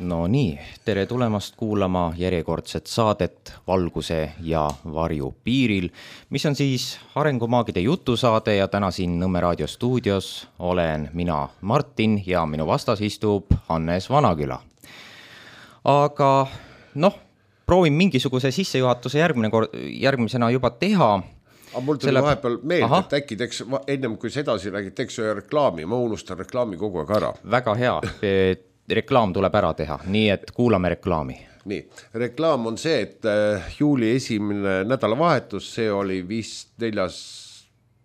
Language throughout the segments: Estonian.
No nii, tere tulemast kuulama järjekordset saadet Valguse ja varju piiril, mis on siis Arengumaagide jutusaade ja täna siin Nõmme raadio stuudios olen mina Martin ja minu vastas istub Hannes Vanaküla. Aga proovin mingisuguse sissejuhatuse järgmisena juba teha. Aga mul tuli vahepeal meelde, et äkki teeks, ennem kui sedasi räägid, teeks ühe reklaami, ma unustan reklaami kogu aeg ära. Väga hea, reklaam tuleb ära teha, nii et kuulame reklaami. Nii, reklaam on see, et juuli esimene nädalavahetus, see oli vist 4.,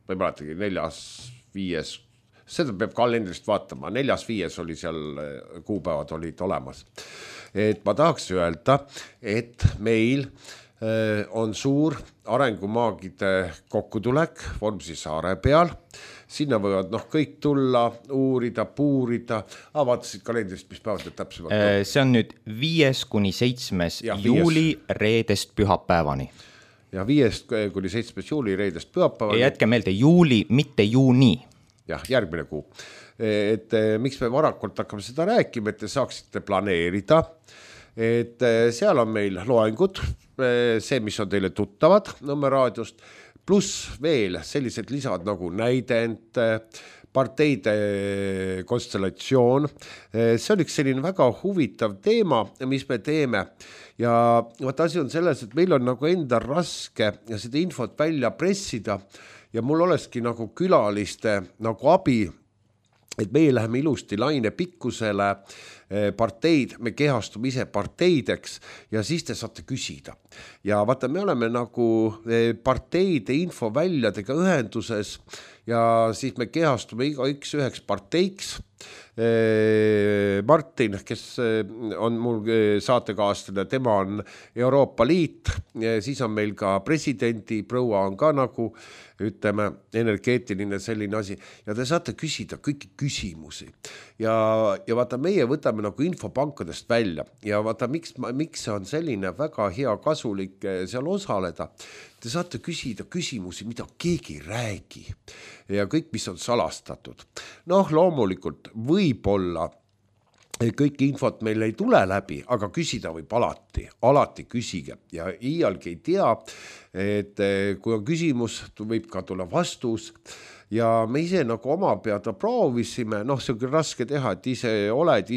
ma ei mäletagi, 4.5., seda peab kalendrist vaatama, 4.5. oli seal kuupäevad olid olemas. Et ma tahaks öelda, et meil on suur arengumaagide kokkutulek Vormsi saare peal. Sinna võivad kõik tulla, uurida, puurida. Vaatasid kalendrist, mis päevad täpsemalt? See on nüüd 5.–7. juuli reedest pühapäevani. Ja 5.–7. juuli reedest pühapäevani. Ja jätke meelde juuli, mitte juuni. Jah, järgmine kuu. Et miks me varakult hakkame seda rääkima, et te saaksite planeerida. Et seal on meil loengud, see, mis on teile tuttavad Nõmme raadiost, pluss veel sellised lisad nagu näidend, parteide konstellatsioon. See on üks selline väga huvitav teema, mis me teeme. Ja asi on selles, et meil on enda raske seda infot välja pressida ja mul olekski külaliste abi, et meie läheme ilusti laine pikkusele parteid, me kehastume ise parteideks ja siis te saate küsida. Ja vaata, me oleme parteide infoväljadega ühenduses ja siis me kehastume igaüks üheks parteiks. Martin, kes on mul saatekaaslane, tema on Euroopa Liit, siis on meil ka presidendi proua on ka ütleme, energeetiline selline asi ja te saate küsida kõiki küsimusi ja vaata, meie võtame infopankadest välja ja vaata, miks see on selline väga hea kasulik seal osaleda. Te saate küsida küsimusi, mida keegi räägi ja kõik, mis on salastatud. Loomulikult võib-olla kõik infot meil ei tule läbi, aga küsida võib alati küsige ja iialgi ei tea, et kui on küsimus, võib ka tulla vastus ja me ise oma peada proovisime, see on küll raske teha, et ise oled,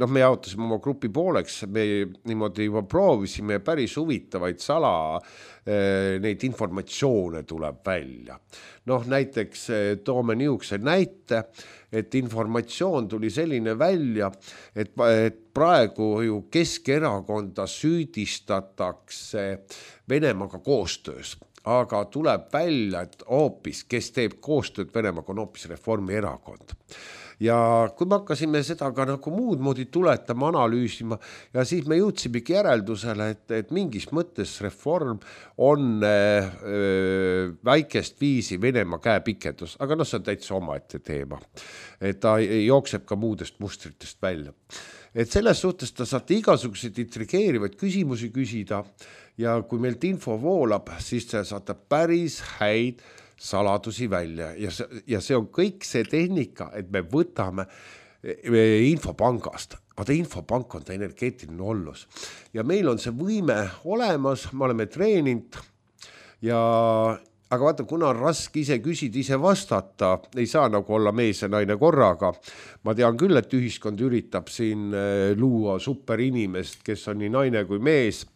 me jaotasime oma grupi pooleks, me niimoodi juba proovisime ja päris huvitavaid neid informatsioone tuleb välja. Näiteks toome niisuguse näite, et informatsioon tuli selline välja, et praegu ju Keskerakonda süüdistatakse Venemaaga koostöös. Aga tuleb välja, et hoopis, kes teeb koostööd Venemaaga, on hoopis Reformierakond. Ja kui me hakkasime seda ka muud moodi tuletama, analüüsima ja siis me jõudsimegi järeldusele, et mingis mõttes Reform on väikest viisi Venemaa käepikendus, aga see on täitsa omaette teema. Et ta jookseb ka muudest mustritest välja. Et selles suhtes ta saate igasuguseid intrigeerivaid küsimusi küsida ja kui meilt info voolab, siis te saate päris häid saladusi välja ja see on kõik see tehnika, et me võtame infopangast. Vaata, infopank on ta energeetiline ollus ja meil on see võime olemas, me oleme treeninud aga vaata, kuna on raske ise küsida, ise vastata, ei saa olla mees ja naine korraga. Ma tean küll, et ühiskond üritab siin luua superinimest, kes on nii naine kui mees,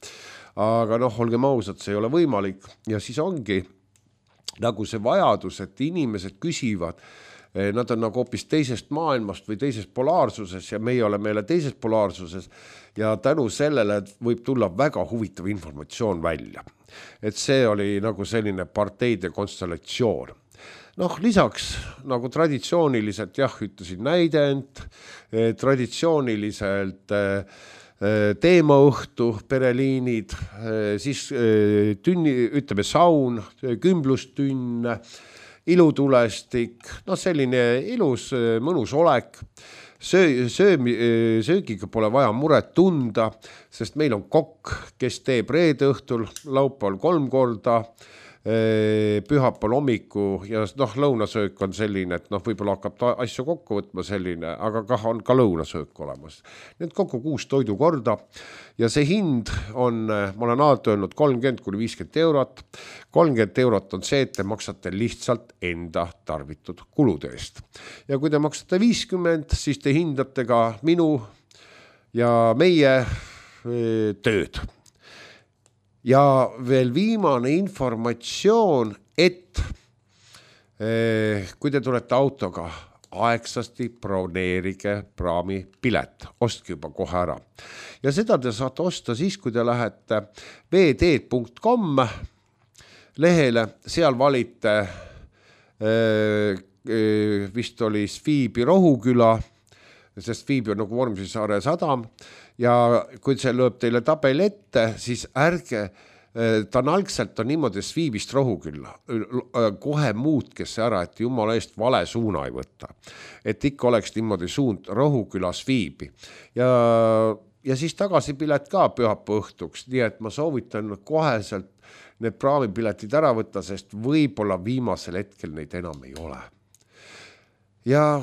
aga olgem ausad, see ei ole võimalik ja siis ongi see vajadus, et inimesed küsivad, nad on hoopis teisest maailmast või teisest polaarsuses ja meie oleme meile teisest polaarsuses ja tänu sellele võib tulla väga huvitav informatsioon välja. Et see oli selline parteide konstellatsioon. Lisaks traditsiooniliselt, ütlesin näidend, traditsiooniliselt teemaõhtu, pereliinid, siis ütleme saun, kümblustünn, ilutulestik, selline ilus, mõnus olek. Söögiga pole vaja muret tunda, sest meil on kokk, kes teeb reede õhtul, laupäeval 3 korda, pühapäeval hommiku ja lõunasöök on selline, et võib-olla hakkab ta asju kokku võtma selline, aga on ka lõunasöök olemas. Need kokku 6 toidukorda ja see hind on, ma olen alati öelnud 30–50 eurot. 30 eurot on see, et te maksate lihtsalt enda tarvitud kulude eest. Ja kui te maksate 50, siis te hindate ka minu ja meie tööd. Ja veel viimane informatsioon, et kui te tulete autoga, aegsasti broneerige praami pilet, ostke juba kohe ära. Ja seda te saate osta siis, kui te lähete vd.com lehele, seal valite vist oli Sviibi Rohuküla, sest Sviibi on nagu Vormsisaare sadam, ja kui see lööb teile tabel ette, siis ärge, ta on algselt on niimoodi Sviibist Rohukülla, kohe muutke see ära, et jumala eest vale suuna ei võtta. Et ikka oleks niimoodi suund Rohuküla Sviibi. Ja siis tagasipilet ka pühapäeva õhtuks, nii et ma soovitan koheselt need praamipiletid ära võtta, sest võib-olla viimasel hetkel neid enam ei ole. Ja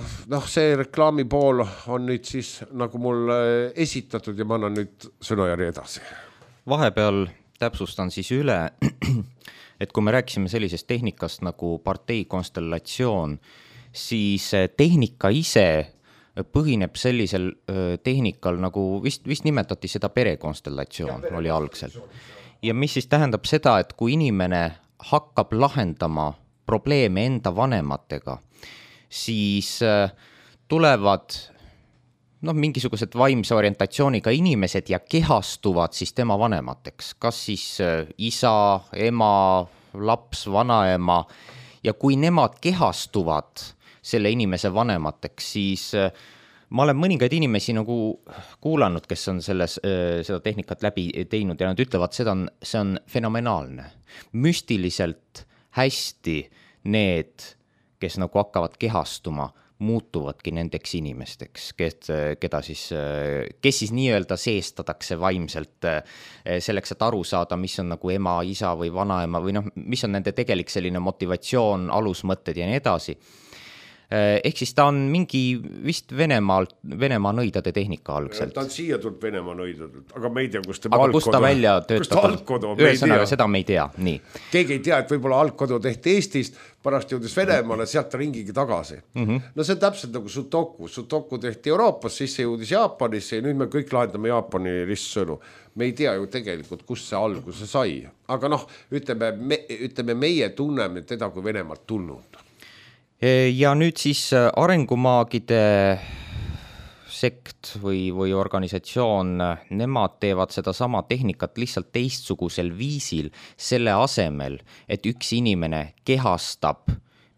see reklaami pool on nüüd siis nagu mul esitatud ja ma annan nüüd sõnajärje edasi. Vahepeal täpsustan siis üle, et kui me rääkisime sellisest tehnikast nagu partei konstellatsioon, siis tehnika ise põhineb sellisel tehnikal, nagu vist nimetati seda perekonstellatsioon, oli algselt. Ja mis siis tähendab seda, et kui inimene hakkab lahendama probleeme enda vanematega, siis tulevad mingisugused vaimse orientatsiooniga inimesed ja kehastuvad siis tema vanemateks. Kas siis isa, ema, laps, vanaema. Ja kui nemad kehastuvad selle inimese vanemateks, siis ma olen mõningaid inimesi nagu kuulanud, kes on seda tehnikat läbi teinud ja nad ütlevad, see on fenomenaalne. Müstiliselt hästi need kes nagu hakkavad kehastuma, muutuvadki nendeks inimesteks, kes siis nii-öelda seestatakse vaimselt selleks, et aru saada, mis on nagu ema, isa või vanaema või mis on nende tegelik selline motivatsioon, alusmõtted ja nii edasi. Ehk siis ta on mingi vist Venemaa nõidade tehnika algselt. Ta on siia tulnud Venemaa nõidadelt, aga me ei tea, kus tema algkodu. Aga kus ta välja töötab? Ühesõnaga, seda me ei tea. Nii. Keegi ei tea, et võib-olla algkodu tehti Eestist, pärast jõudis Venemaale, sealt ringigi tagasi. No see on täpselt nagu Sudoku. Sudoku tehti Euroopas, siis see jõudis Jaapanisse ja nüüd me kõik lahendame Jaapani ristsõnu. Me ei tea ju tegelikult, kus see alguse sai. Aga ütleme meie tunneme teda kui Venemaalt tulnud. Ja nüüd siis arengumaagide sekt või organisatsioon, nemad teevad seda sama tehnikat lihtsalt teistsugusel viisil selle asemel, et üks inimene kehastab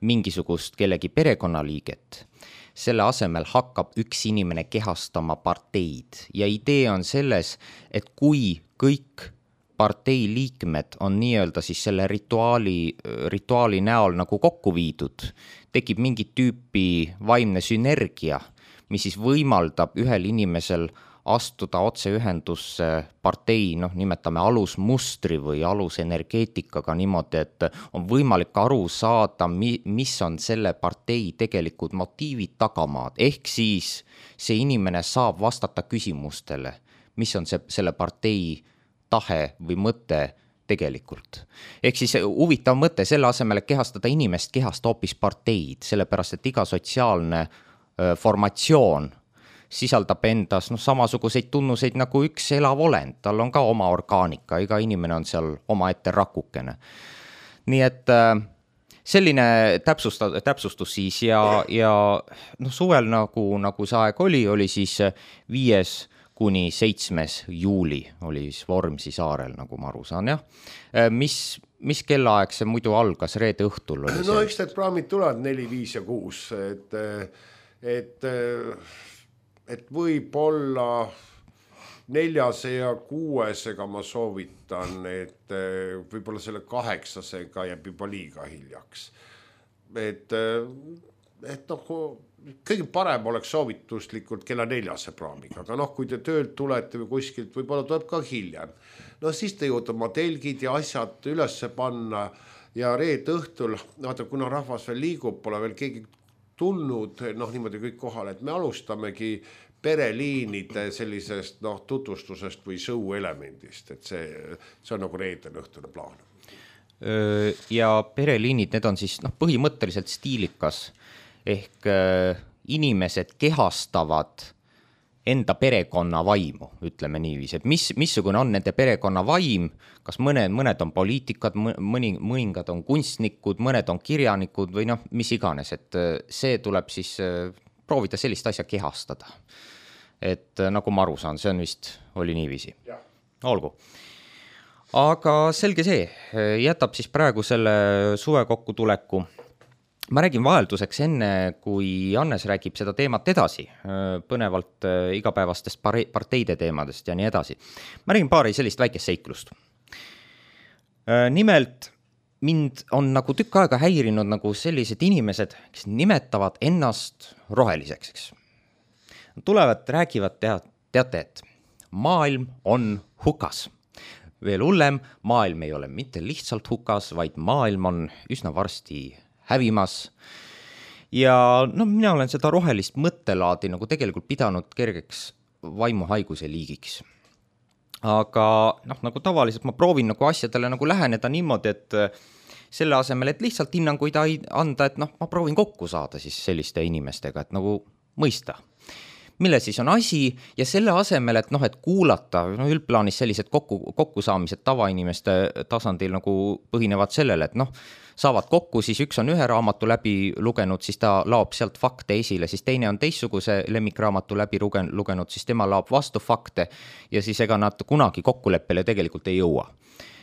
mingisugust kellegi perekonnaliiget. Selle asemel hakkab üks inimene kehastama parteid ja idee on selles, et kui kõik partei liikmed on nii-öelda siis selle rituaali näol nagu kokku viidud, tekib mingit tüüpi vaimne sünergia, mis siis võimaldab ühel inimesel astuda otseühendusse partei, nimetame alusmustri või alusenergeetikaga niimoodi, et on võimalik aru saada, mis on selle partei tegelikult motiivid tagamaad. Ehk siis see inimene saab vastata küsimustele, mis on selle partei tahe või mõte tegelikult. Ehk siis huvitav mõte selle asemel, et kehastada inimest, kehasta hoopis parteid, sellepärast et iga sotsiaalne formatsioon sisaldab endas samasuguseid tunnuseid nagu üks elav olend, tal on ka oma orgaanika, iga inimene on seal oma ette rakukene. Nii et selline täpsustus siis ja suvel nagu see aeg oli siis 5. kuni 7. juuli oli Vormsi saarel, nagu ma aru saan, jah. Mis kellaaeg see muidu algas, reede õhtul oli see? Eks need praamid tulevad 4, 5 ja 6, et võib-olla 4. ja 6. ma soovitan, et võib-olla selle 8. jääb juba liiga hiljaks. Et kõige parem oleks soovituslikult kella 4. praamiga, aga kui te töölt tulete või kuskilt, võib-olla tuleb ka hiljem. Siis te jõuate oma telgid ja asjad üles panna ja reede õhtul, vaata, kuna rahvas veel liigub, pole veel keegi tulnud, niimoodi kõik kohale, et me alustamegi pereliinide sellisest tutvustusest või show elemendist, et see on nagu reedel õhtune plaan. Ja pereliinid, need on siis põhimõtteliselt stiilikas ehk inimesed kehastavad enda perekonna vaimu, ütleme niiviisi, et missugune on nende perekonna vaim, kas mõned on poliitikad, mõningad on kunstnikud, mõned on kirjanikud või mis iganes, et see tuleb siis proovida sellist asja kehastada. Et nagu ma aru saan, see on vist, oli niiviisi. Olgu. Aga selge see, jätab siis praegu selle suve kokkutuleku. Ma räägin vahelduseks enne, kui Hannes räägib seda teemat edasi, põnevalt igapäevastest parteide teemadest ja nii edasi. Ma räägin paari sellist väikest seiklust. Nimelt, mind on nagu tükk aega häirinud nagu sellised inimesed, kes nimetavad ennast roheliseks, eks. Tulevad, räägivad, teate, et maailm on hukas. Veel hullem, maailm ei ole mitte lihtsalt hukas, vaid maailm on üsna varsti hävimas. Ja mina olen seda rohelist mõttelaadi nagu tegelikult pidanud kergeks vaimuhaiguse liigiks. Aga nagu tavaliselt ma proovin nagu asjadele nagu läheneda niimoodi, et selle asemel, et lihtsalt hinnanguid anda, et ma proovin kokku saada siis selliste inimestega, et nagu mõista. Mille siis on asi ja selle asemel, et et kuulata, üldplaanis sellised kokkusaamised tavainimeste tasandil nagu põhinevad sellele, et saavad kokku, siis üks on ühe raamatu läbi lugenud, siis ta laob sealt fakte esile, siis teine on teistsuguse lemmikraamatu läbi lugenud, siis tema laob vastu fakte ja siis ega nad kunagi kokkuleppele tegelikult ei jõua.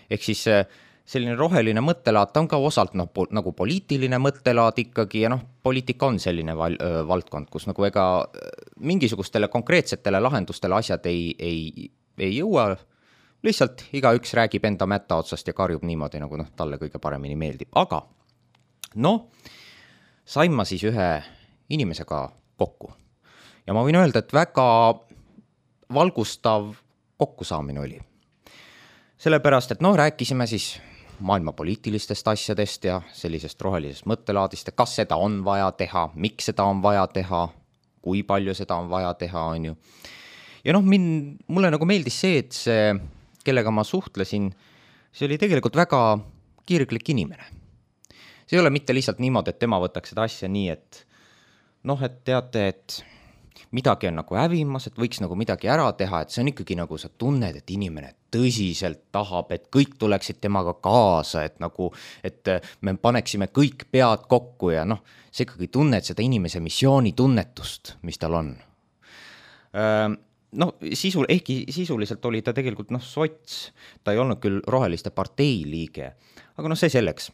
Ehk siis selline roheline mõttelaad, ta on ka osalt nagu poliitiline mõttelaad ikkagi ja poliitika on selline valdkond, kus nagu ega mingisugustele konkreetsetele lahendustele asjad ei jõua, lihtsalt igaüks räägib enda mätta otsast ja karjub niimoodi, nagu talle kõige paremini meeldib. Aga sain ma siis ühe inimesega kokku ja ma võin öelda, et väga valgustav kokkusaamine oli. Sellepärast, et rääkisime siis maailma poliitilistest asjadest ja sellisest rohelisest mõttelaadist, kas seda on vaja teha, miks seda on vaja teha, kui palju seda on vaja teha, on ju. Ja mulle nagu meeldis see, et see, kellega ma suhtlesin, see oli tegelikult väga kirglik inimene. See ei ole mitte lihtsalt niimoodi, et tema võtaks seda asja nii, et et teate, et midagi on nagu hävimas, et võiks nagu midagi ära teha, et see on ikkagi nagu sa tunned, et inimene tõsiselt tahab, et kõik tuleksid temaga kaasa, et me paneksime kõik pead kokku ja see ikkagi tunned seda inimese missiooni tunnetust, mis tal on. Ehkki sisuliselt oli ta tegelikult sots, ta ei olnud küll roheliste partei liige, aga see selleks.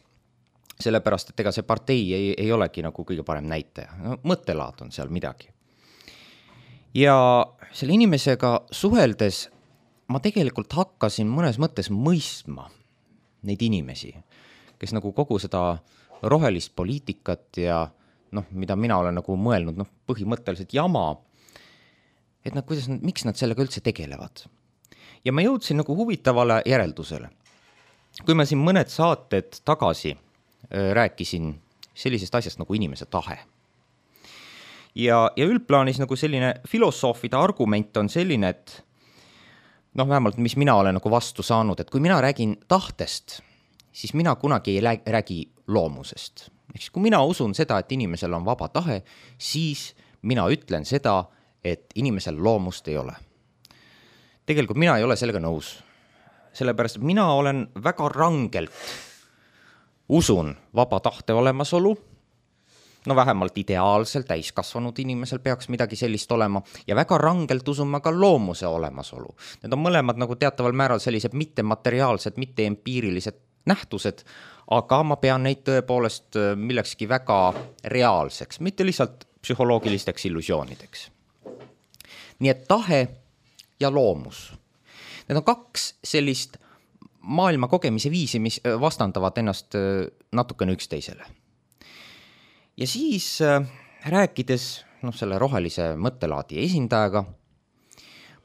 Sellepärast, et ega see partei ei olegi nagu kõige parem näitaja. Mõttelaad on seal midagi. Ja selle inimesega suheldes ma tegelikult hakkasin mõnes mõttes mõistma neid inimesi, kes nagu kogu seda rohelist poliitikat ja mida mina olen nagu mõelnud, põhimõtteliselt jama, et miks nad sellega üldse tegelevad. Ja ma jõudsin nagu huvitavale järeldusele. Kui ma siin mõned saated tagasi rääkisin sellisest asjast nagu inimese tahe. Ja üldplaanis nagu selline filosoofide argument on selline, et vähemalt mis mina olen nagu vastu saanud, et kui mina räägin tahtest, siis mina kunagi ei räägi loomusest. Eks kui mina usun seda, et inimesel on vaba tahe, siis mina ütlen seda, et inimesel loomust ei ole. Tegelikult mina ei ole sellega nõus. Sellepärast, et mina olen väga rangelt usun vaba tahte olemasolu, vähemalt ideaalsel täiskasvanud inimesel peaks midagi sellist olema ja väga rangelt usun ma ka loomuse olemasolu. Need on mõlemad nagu teataval määral sellised mittemateriaalsed, mitteempiirilised nähtused, aga ma pean neid tõepoolest millekski väga reaalseks, mitte lihtsalt psühholoogilisteks illusioonideks. Nii et tahe ja loomus. Need on kaks sellist maailma kogemise viisi, mis vastandavad ennast natukene üksteisele. Ja siis rääkides selle rohelise mõttelaadi esindajaga,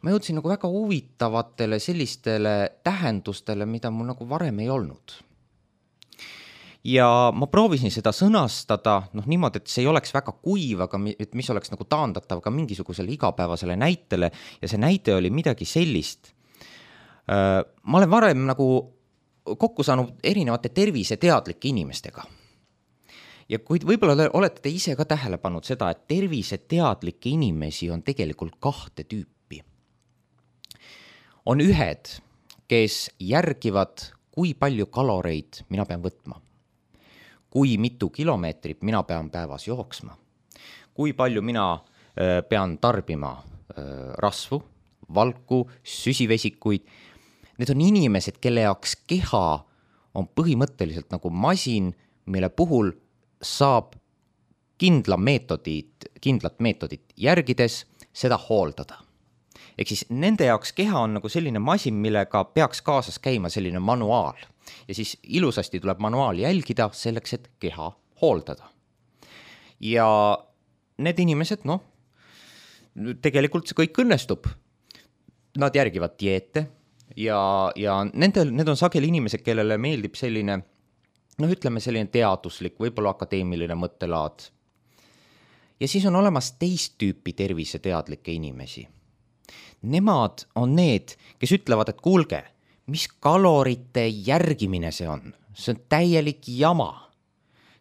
ma jõudsin nagu väga huvitavatele sellistele tähendustele, mida mul nagu varem ei olnud. ja ma proovisin seda sõnastada niimoodi, et see ei oleks väga kuiv, aga et mis oleks nagu taandatav ka mingisugusele igapäevasele näitele ja see näite oli midagi sellist. Ma olen varem nagu kokku saanud erinevate terviseteadlike inimestega. Ja kuid võib-olla olete te ise ka tähele pannud seda, et terviseteadlikke inimesi on tegelikult 2 tüüpi. On ühed, kes järgivad, kui palju kaloreid mina pean võtma. Kui mitu kilomeetrit mina pean päevas jooksma, kui palju mina pean tarbima rasvu, valku, süsivesikuid. Need on inimesed, kelle jaoks keha on põhimõtteliselt nagu masin, mille puhul saab kindlat meetodit järgides seda hooldada. Ehk siis nende jaoks keha on nagu selline masin, millega peaks kaasas käima selline manuaal. Ja siis ilusasti tuleb manuaali jälgida selleks, et keha hooldada. Ja need inimesed, tegelikult see kõik õnnestub. Nad järgivad dieete ja need on sageli inimesed, kellele meeldib selline, ütleme selline teaduslik, võib-olla akadeemiline mõttelaad. Ja siis on olemas teist tüüpi terviseteadlikke inimesi. Nemad on need, kes ütlevad, et kuulge, mis kalorite järgimine see on? See on täielik jama.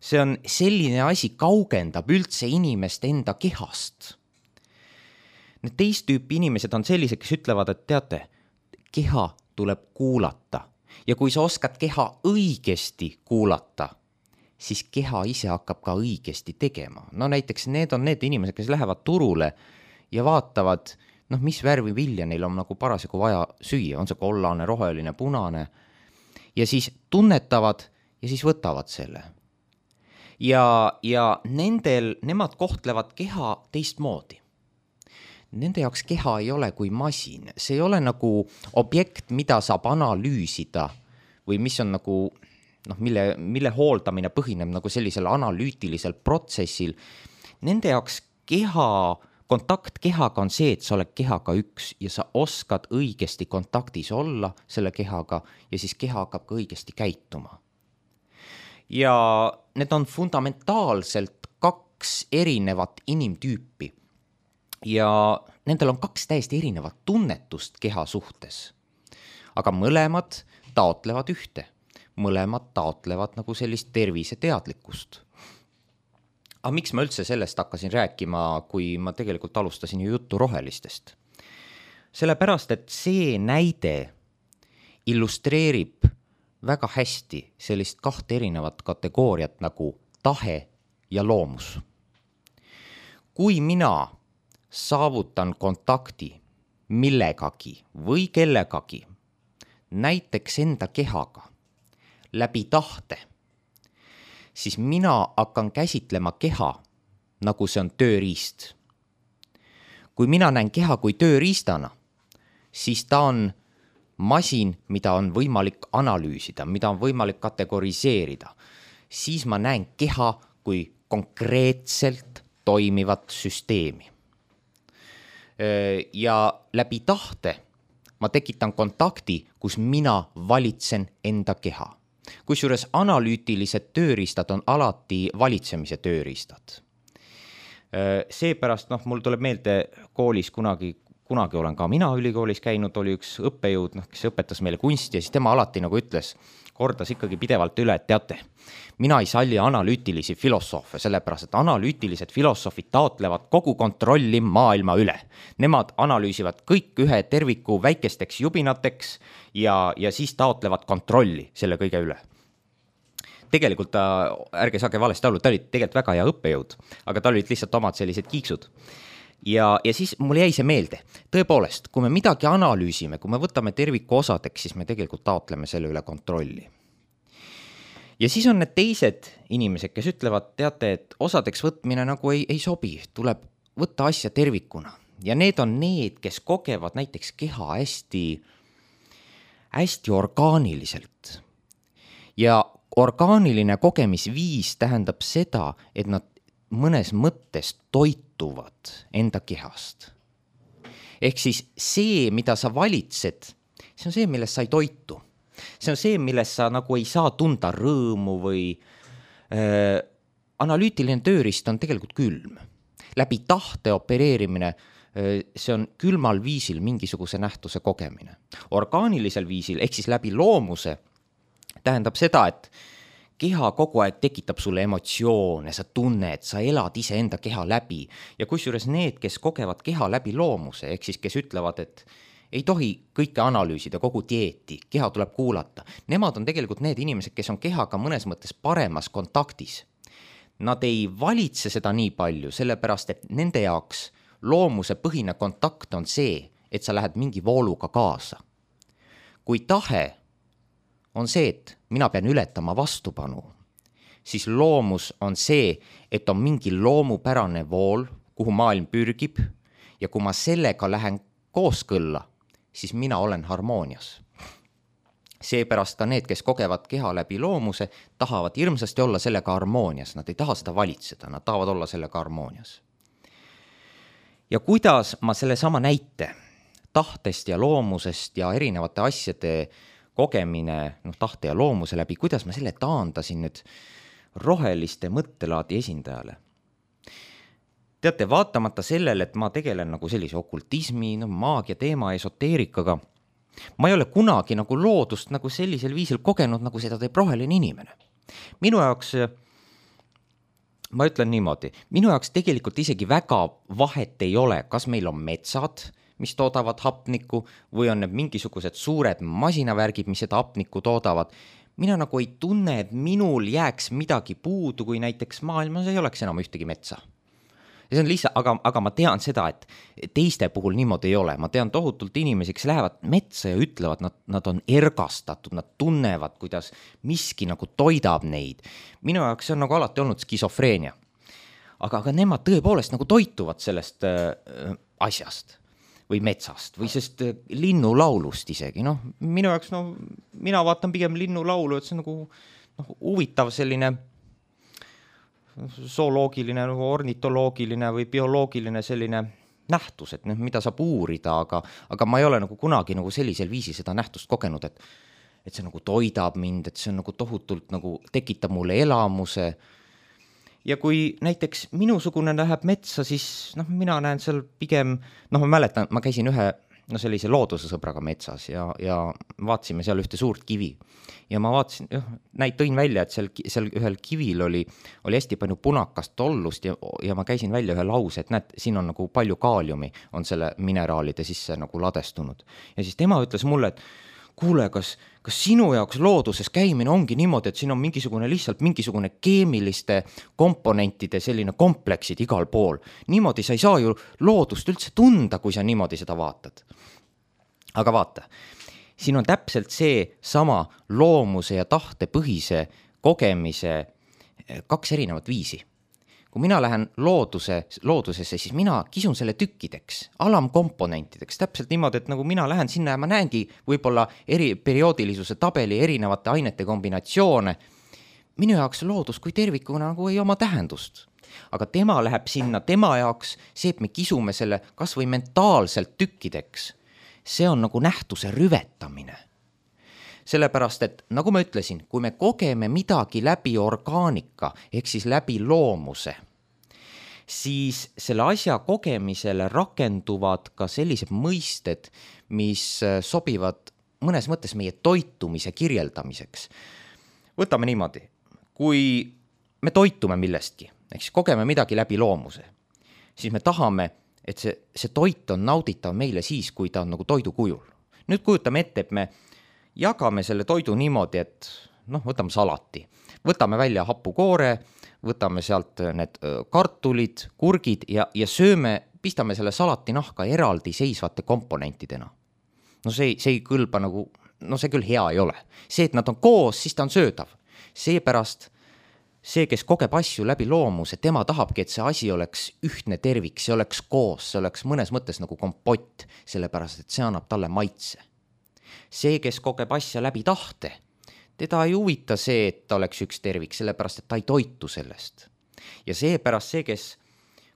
See on selline asi, kaugendab üldse inimest enda kehast. Need teist tüüpi inimesed on sellised, kes ütlevad, et teate, keha tuleb kuulata. Ja kui sa oskad keha õigesti kuulata, siis keha ise hakkab ka õigesti tegema. Näiteks need on need inimesed, kes lähevad turule ja vaatavad, mis värvi vilja neil on nagu parasjagu vaja süüa, on see kollane, roheline, punane, ja siis tunnetavad ja siis võtavad selle. Ja nemad kohtlevad keha teistmoodi. Nende jaoks keha ei ole kui masin, see ei ole nagu objekt, mida saab analüüsida või mis on nagu, mille hooldamine põhineb nagu sellisel analüütilisel protsessil. Nende jaoks kontakt kehaga on see, et sa oled kehaga üks ja sa oskad õigesti kontaktis olla selle kehaga ja siis keha hakkab ka õigesti käituma. Ja need on fundamentaalselt 2 erinevat inimtüüpi ja nendel on 2 täiesti erinevat tunnetust keha suhtes. Aga mõlemad taotlevad ühte, mõlemad taotlevad nagu sellist terviseteadlikkust. Aga miks ma üldse sellest hakkasin rääkima, kui ma tegelikult alustasin ju juttu rohelistest? Sellepärast, et see näide illustreerib väga hästi sellist 2 erinevat kategooriat nagu tahe ja loomus. Kui mina saavutan kontakti millegagi või kellegagi, näiteks enda kehaga, läbi tahte, siis mina hakkan käsitlema keha, nagu see on tööriist. Kui mina näen keha kui tööriistana, siis ta on masin, mida on võimalik analüüsida, mida on võimalik kategoriseerida. Siis ma näen keha kui konkreetselt toimivat süsteemi. Ja läbi tahte ma tekitan kontakti, kus mina valitsen enda keha. Kusjuures analüütilised tööriistad on alati valitsemise tööriistad. Seepärast mul tuleb meelde koolis kunagi olen ka mina ülikoolis käinud, oli üks õppejõud, kes õpetas meile kunsti ja siis tema alati nagu ütles, kordas ikkagi pidevalt üle, et teate, mina ei salli analüütilisi filosoofe, sellepärast, et analüütilised filosoofid taotlevad kogu kontrolli maailma üle. Nemad analüüsivad kõik ühe terviku väikesteks jubinateks ja siis taotlevad kontrolli selle kõige üle. Tegelikult ärge saage valesti aru, ta oli tegelikult väga hea õppejõud, aga tal olid lihtsalt omad sellised kiiksud. Ja siis mul jäi see meelde. Tõepoolest, kui me midagi analüüsime, kui me võtame terviku osadeks, siis me tegelikult taotleme selle üle kontrolli. Ja siis on need teised inimesed, kes ütlevad, teate, et osadeks võtmine nagu ei sobi, tuleb võtta asja tervikuna. Ja need on need, kes kogevad näiteks keha hästi orgaaniliselt. Ja orgaaniline kogemisviis tähendab seda, et nad mõnes mõttes toituvad enda kehast. Ehk siis see, mida sa valitsed, see on see, millest sa ei toitu. see on see, milles sa nagu ei saa tunda rõõmu või analüütiline tööriist on tegelikult külm. Läbi tahte opereerimine, see on külmal viisil mingisuguse nähtuse kogemine. Orgaanilisel viisil, ehk siis läbi loomuse, tähendab seda, et keha kogu aeg tekitab sulle emotsioone, sa tunned, sa elad iseenda keha läbi. Ja kusjuures need, kes kogevad keha läbi loomuse, ehk siis kes ütlevad, et ei tohi kõike analüüsida, kogu dieeti, keha tuleb kuulata. Nemad on tegelikult need inimesed, kes on kehaga mõnes mõttes paremas kontaktis. Nad ei valitse seda nii palju, sellepärast et nende jaoks loomuse põhine kontakt on see, et sa lähed mingi vooluga kaasa. Kui tahe on see, et mina pean ületama vastupanu, siis loomus on see, et on mingi loomupärane vool, kuhu maailm pürgib ja kui ma sellega lähen kooskõlla, siis mina olen harmoonias. Seepärast ka need, kes kogevad keha läbi loomuse, tahavad hirmsasti olla sellega harmoonias. Nad ei taha seda valitseda, nad tahavad olla sellega harmoonias. Ja kuidas ma selle sama näite tahtest ja loomusest ja erinevate asjade kogemine tahte ja loomuse läbi, kuidas ma selle taandasin nüüd roheliste mõttelaadi esindajale. Teate, vaatamata sellele, et ma tegelen nagu sellise okultismi, maagia teema, esoteerikaga, ma ei ole kunagi nagu loodust nagu sellisel viisil kogenud, nagu seda teeb roheline inimene. Minu jaoks, ma ütlen niimoodi, minu jaoks tegelikult isegi väga vahet ei ole, kas meil on metsad, mis toodavad hapnikku, või on need mingisugused suured masinavärgid, mis seda hapnikku toodavad. Mina nagu ei tunne, et minul jääks midagi puudu, kui näiteks maailmas ei oleks enam ühtegi metsa. Ja see on lihtsalt, aga ma tean seda, et teiste puhul niimoodi ei ole. Ma tean tohutult inimesi, kes lähevad metsa ja ütlevad, nad on ergastatud, nad tunnevad, kuidas miski nagu toidab neid. Minu jaoks see on nagu alati olnud skisofreenia. Aga nemad tõepoolest nagu toituvad sellest asjast või metsast või sest linnulaulust isegi. Minu jaoks, mina vaatan pigem linnulaulu, et see on nagu huvitav selline zooloogiline, ornitoloogiline või bioloogiline selline nähtus, et mida saab uurida, aga ma ei ole nagu kunagi nagu sellisel viisi seda nähtust kogenud, et see nagu toidab mind, et see on nagu tohutult nagu tekitab mulle elamuse. Ja kui näiteks minusugune läheb metsa, siis mina näen seal pigem, ma mäletan, ma käisin ühe sellise loodusesõbraga metsas ja vaatasime seal ühte suurt kivi. Ja ma vaatasin, tõin välja, et seal ühel kivil oli hästi palju punakast tollust ja ma käisin välja ühe lause, et näed, siin on nagu palju kaaliumi on selle mineraalide sisse nagu ladestunud. Ja siis tema ütles mulle, et kuule, kas sinu jaoks looduses käimine ongi niimoodi, et siin on lihtsalt mingisugune keemiliste komponentide selline kompleksid igal pool. Niimoodi sa ei saa ju loodust üldse tunda, kui sa niimoodi seda vaatad. Aga vaata, siin on täpselt see sama loomuse ja tahte põhise kogemise kaks erinevat viisi. Kui mina lähen loodusesse, siis mina kisun selle tükkideks, alamkomponentideks, täpselt niimoodi, et nagu mina lähen sinna ja ma näengi võib-olla perioodilisuse tabeli erinevate ainete kombinatsioone. Minu jaoks loodus kui tervikuna nagu ei oma tähendust. Aga tema läheb sinna, tema jaoks see, et me kisume selle kas või mentaalselt tükkideks, see on nagu nähtuse rüvetamine. Sellepärast, et nagu ma ütlesin, kui me kogeme midagi läbi orgaanika, ehk siis läbi loomuse, siis selle asja kogemisele rakenduvad ka sellised mõisted, mis sobivad mõnes mõttes meie toitumise kirjeldamiseks. Võtame niimoodi, kui me toitume millestki, ehk siis kogeme midagi läbi loomuse, siis me tahame, et see toit on nauditav meile siis, kui ta on nagu toidu kujul. Nüüd kujutame ette, et me jagame selle toidu niimoodi, et võtame salati, võtame välja hapukoore, võtame sealt need kartulid, kurgid ja sööme, pistame selle salati nahka eraldi seisvate komponentidena. See ei kõlba nagu, see küll hea ei ole. See, et nad on koos, siis ta on söödav. Seepärast see, kes kogeb asju läbi loomuse, tema tahabki, et see asi oleks ühtne tervik, see oleks koos, see oleks mõnes mõttes nagu kompott, sellepärast, et see annab talle maitse. See, kes kogeb asja läbi tahte, teda ei huvita see, et ta oleks üks tervik, sellepärast, et ta ei toitu sellest. Ja seepärast see, kes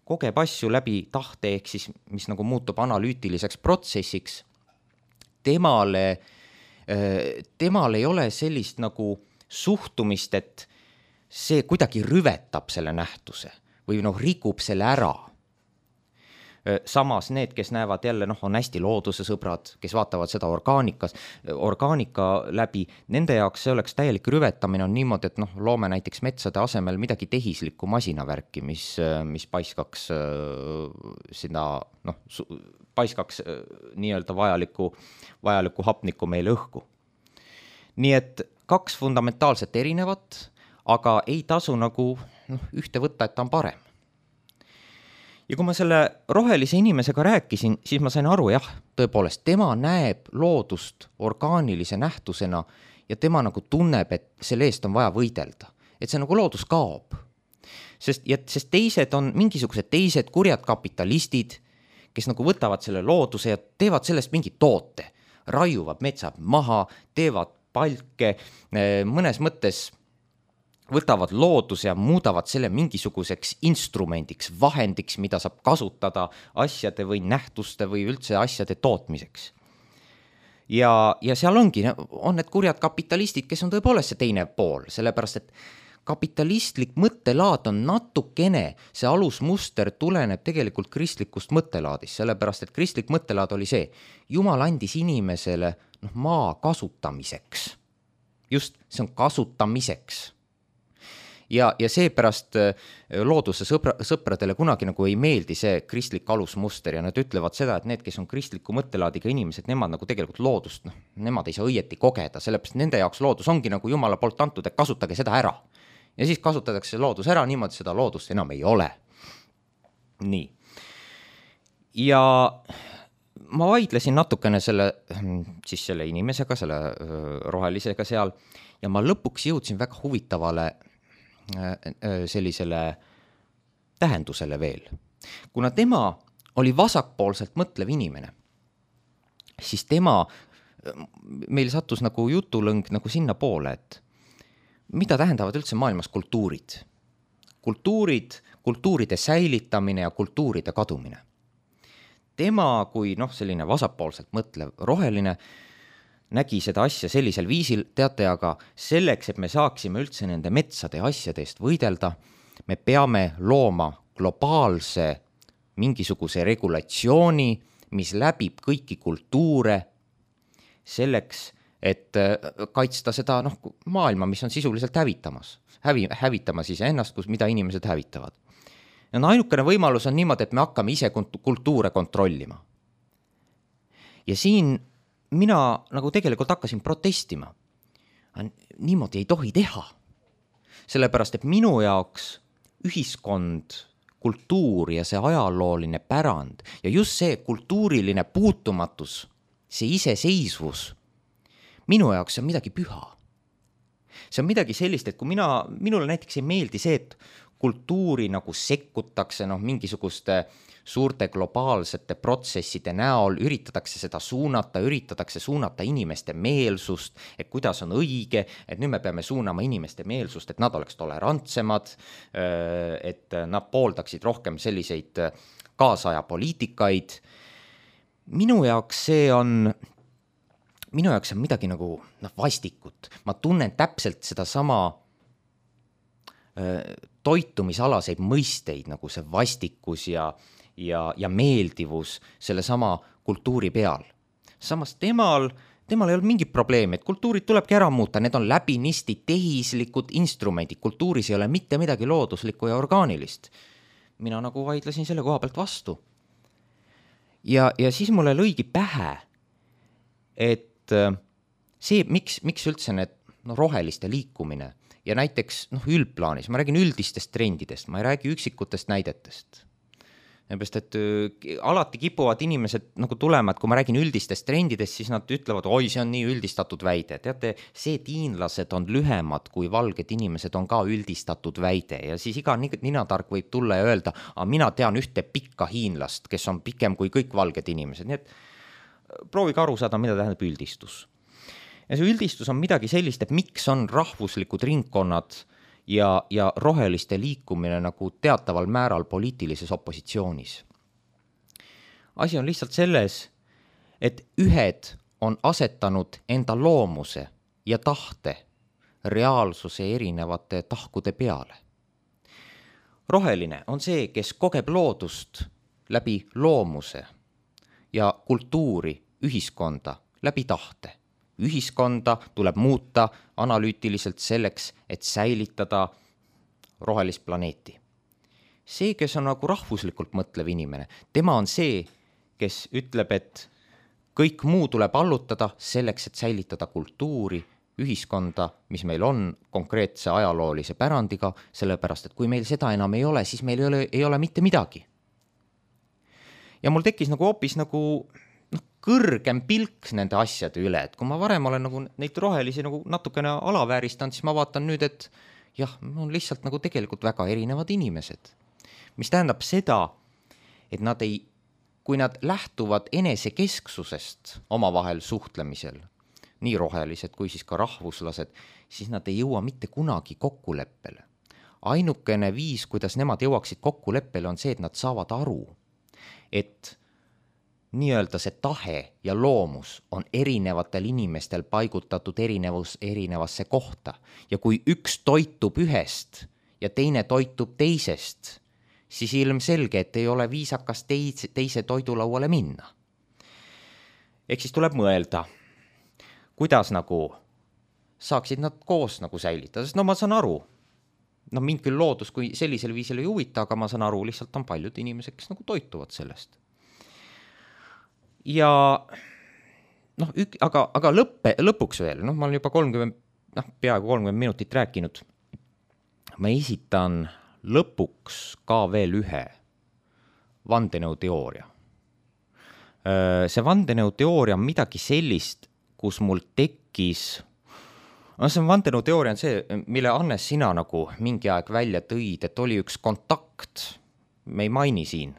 kogeb asju läbi tahte, ehk siis mis nagu muutub analüütiliseks protsessiks, temale temal ei ole sellist nagu suhtumist, et see kuidagi rüvetab selle nähtuse või rikub selle ära. Samas need, kes näevad jälle, on hästi looduse sõbrad, kes vaatavad seda orgaanika läbi, nende jaoks see oleks täielik rüvetamine on niimoodi, et loome näiteks metsade asemel midagi tehislikku masinavärki, mis paiskaks seda, paiskaks nii-öelda vajalikku hapnikku meile õhku. Nii et 2 fundamentaalselt erinevat, aga ei tasu ühte võtta, et ta on parem. Ja kui ma selle rohelise inimesega rääkisin, siis ma sain aru, jah, tõepoolest, tema näeb loodust orgaanilise nähtusena ja tema tunneb, et selle eest on vaja võidelda. Et see loodus kaob. Sest teised on mingisugused teised kurjad kapitalistid, kes võtavad selle looduse ja teevad sellest mingi toote. Raiuvad metsad maha, teevad palke, mõnes mõttes võtavad looduse ja muudavad selle mingisuguseks instrumendiks, vahendiks, mida saab kasutada asjade või nähtuste või üldse asjade tootmiseks. Ja seal on need kurjad kapitalistid, kes on tõepoolest see teine pool, sellepärast et kapitalistlik mõttelaad on natukene, see alusmuster tuleneb tegelikult kristlikust mõttelaadist, sellepärast et kristlik mõttelaad oli see, Jumal andis inimesele maa kasutamiseks. Just, see on kasutamiseks. Ja seepärast looduse sõpradele kunagi ei meeldi see kristlik alusmuster ja nad ütlevad seda, et need, kes on kristliku mõttelaadiga inimesed, nemad tegelikult loodust, nemad ei saa õieti kogeda, sellepärast nende jaoks loodus ongi Jumala poolt antud, et kasutage seda ära. Ja siis kasutatakse loodus ära, niimoodi seda loodust enam ei ole. Nii. Ja ma vaidlesin natukene selle inimesega, selle rohelisega seal ja ma lõpuks jõudsin väga huvitavale sellisele tähendusele veel. Kuna tema oli vasakpoolselt mõtlev inimene, siis meil sattus jutulõng sinna poole, et mida tähendavad üldse maailmas kultuurid? Kultuuride säilitamine ja kultuuride kadumine. Tema kui selline vasakpoolselt mõtlev roheline nägi seda asja sellisel viisil, teate, aga selleks, et me saaksime üldse nende metsade asjade eest võidelda, me peame looma globaalse mingisuguse regulatsiooni, mis läbib kõiki kultuure selleks, et kaitsta seda maailma, mis on sisuliselt hävitamas iseennast, mida inimesed hävitavad. Ja ainukene võimalus on niimoodi, et me hakkame ise kultuure kontrollima. Ja siin mina tegelikult hakkasin protestima. Niimoodi ei tohi teha. Sellepärast, et minu jaoks ühiskond, kultuur ja see ajalooline pärand ja just see kultuuriline puutumatus, see iseseisvus, minu jaoks on midagi püha. See on midagi sellist, et kui minule näiteks ei meeldi see, et kultuuri sekkutakse mingisuguste suurte globaalsete protsesside näol, üritatakse suunata inimeste meelsust, et kuidas on õige, et nüüd me peame suunama inimeste meelsust, et nad oleks tolerantsemad, et nad pooldaksid rohkem selliseid kaasaja poliitikaid. Minu jaoks see on midagi vastikut. Ma tunnen täpselt seda sama toitumisalaseid mõisteid, see vastikus ja meeldivus selle sama kultuuri peal. Samas temal ei ole mingit probleemi, et kultuurid tulebki ära muuta, need on läbinisti tehislikud instrumendid, kultuuris ei ole mitte midagi looduslikku ja orgaanilist. Mina vaidlesin selle koha pealt vastu. Ja siis mulle lõigi pähe, et see, miks üldse need roheliste liikumine ja näiteks üldplaanis, ma räägin üldistest trendidest, ma ei räägi üksikutest näidetest. Seepärast, et alati kipuvad inimesed tulema, et kui ma räägin üldistest trendidest, siis nad ütlevad, oi, see on nii üldistatud väide. Teate, see, et hiinlased on lühemad kui valged inimesed, on ka üldistatud väide ja siis iga ninatark võib tulla ja öelda, mina tean ühte pikka hiinlast, kes on pikem kui kõik valged inimesed. Nii et proovige aru saada, mida tähendab üldistus. Ja see üldistus on midagi sellist, et miks on rahvuslikud ringkonnad ja roheliste liikumine teataval määral poliitilises opositsioonis. Asi on lihtsalt selles, et ühed on asetanud enda loomuse ja tahte reaalsuse erinevate tahkude peale. Roheline on see, kes kogeb loodust läbi loomuse ja kultuuri, ühiskonda läbi tahte. Ühiskonda tuleb muuta analüütiliselt selleks, et säilitada rohelist planeeti. See, kes on nagu rahvuslikult mõtlev inimene, tema on see, kes ütleb, et kõik muu tuleb allutada selleks, et säilitada kultuuri, ühiskonda, mis meil on konkreetse ajaloolise pärandiga, sellepärast, et kui meil seda enam ei ole, siis meil ei ole mitte midagi. Ja mul tekkis nagu hoopis nagu kõrgem pilk nende asjade üle, et kui ma varem olen nagu neid rohelisi nagu natukene alavääristanud, siis ma vaatan nüüd, et jah, on lihtsalt nagu tegelikult väga erinevad inimesed. Mis tähendab seda, et kui nad lähtuvad enesekesksusest omavahel suhtlemisel, nii rohelised kui siis ka rahvuslased, siis nad ei jõua mitte kunagi kokkuleppele. Ainukene viis, kuidas nemad jõuaksid kokkuleppele, on see, et nad saavad aru, et nii-öelda see tahe ja loomus on erinevatel inimestel paigutatud erinevasse kohta. Ja kui üks toitub ühest ja teine toitub teisest, siis ilmselge, et ei ole viisakas teise toidulauale minna. Ehk siis tuleb mõelda, kuidas nagu saaksid nad koos nagu säilitada, sest ma saan aru, mind küll loodus kui sellisel viisil ei huvita, aga ma saan aru, lihtsalt on paljud inimesed, kes nagu toituvad sellest. Ja aga lõpuks veel, ma olen juba peaaegu 30 minutit rääkinud, ma esitan lõpuks ka veel ühe vandenõuteooria. See vandenõuteooria on midagi sellist, kus mul tekkis, see vandenõuteooria on see, mille Annes sina nagu mingi aeg välja tõid, et oli üks kontakt, me ei maini siin,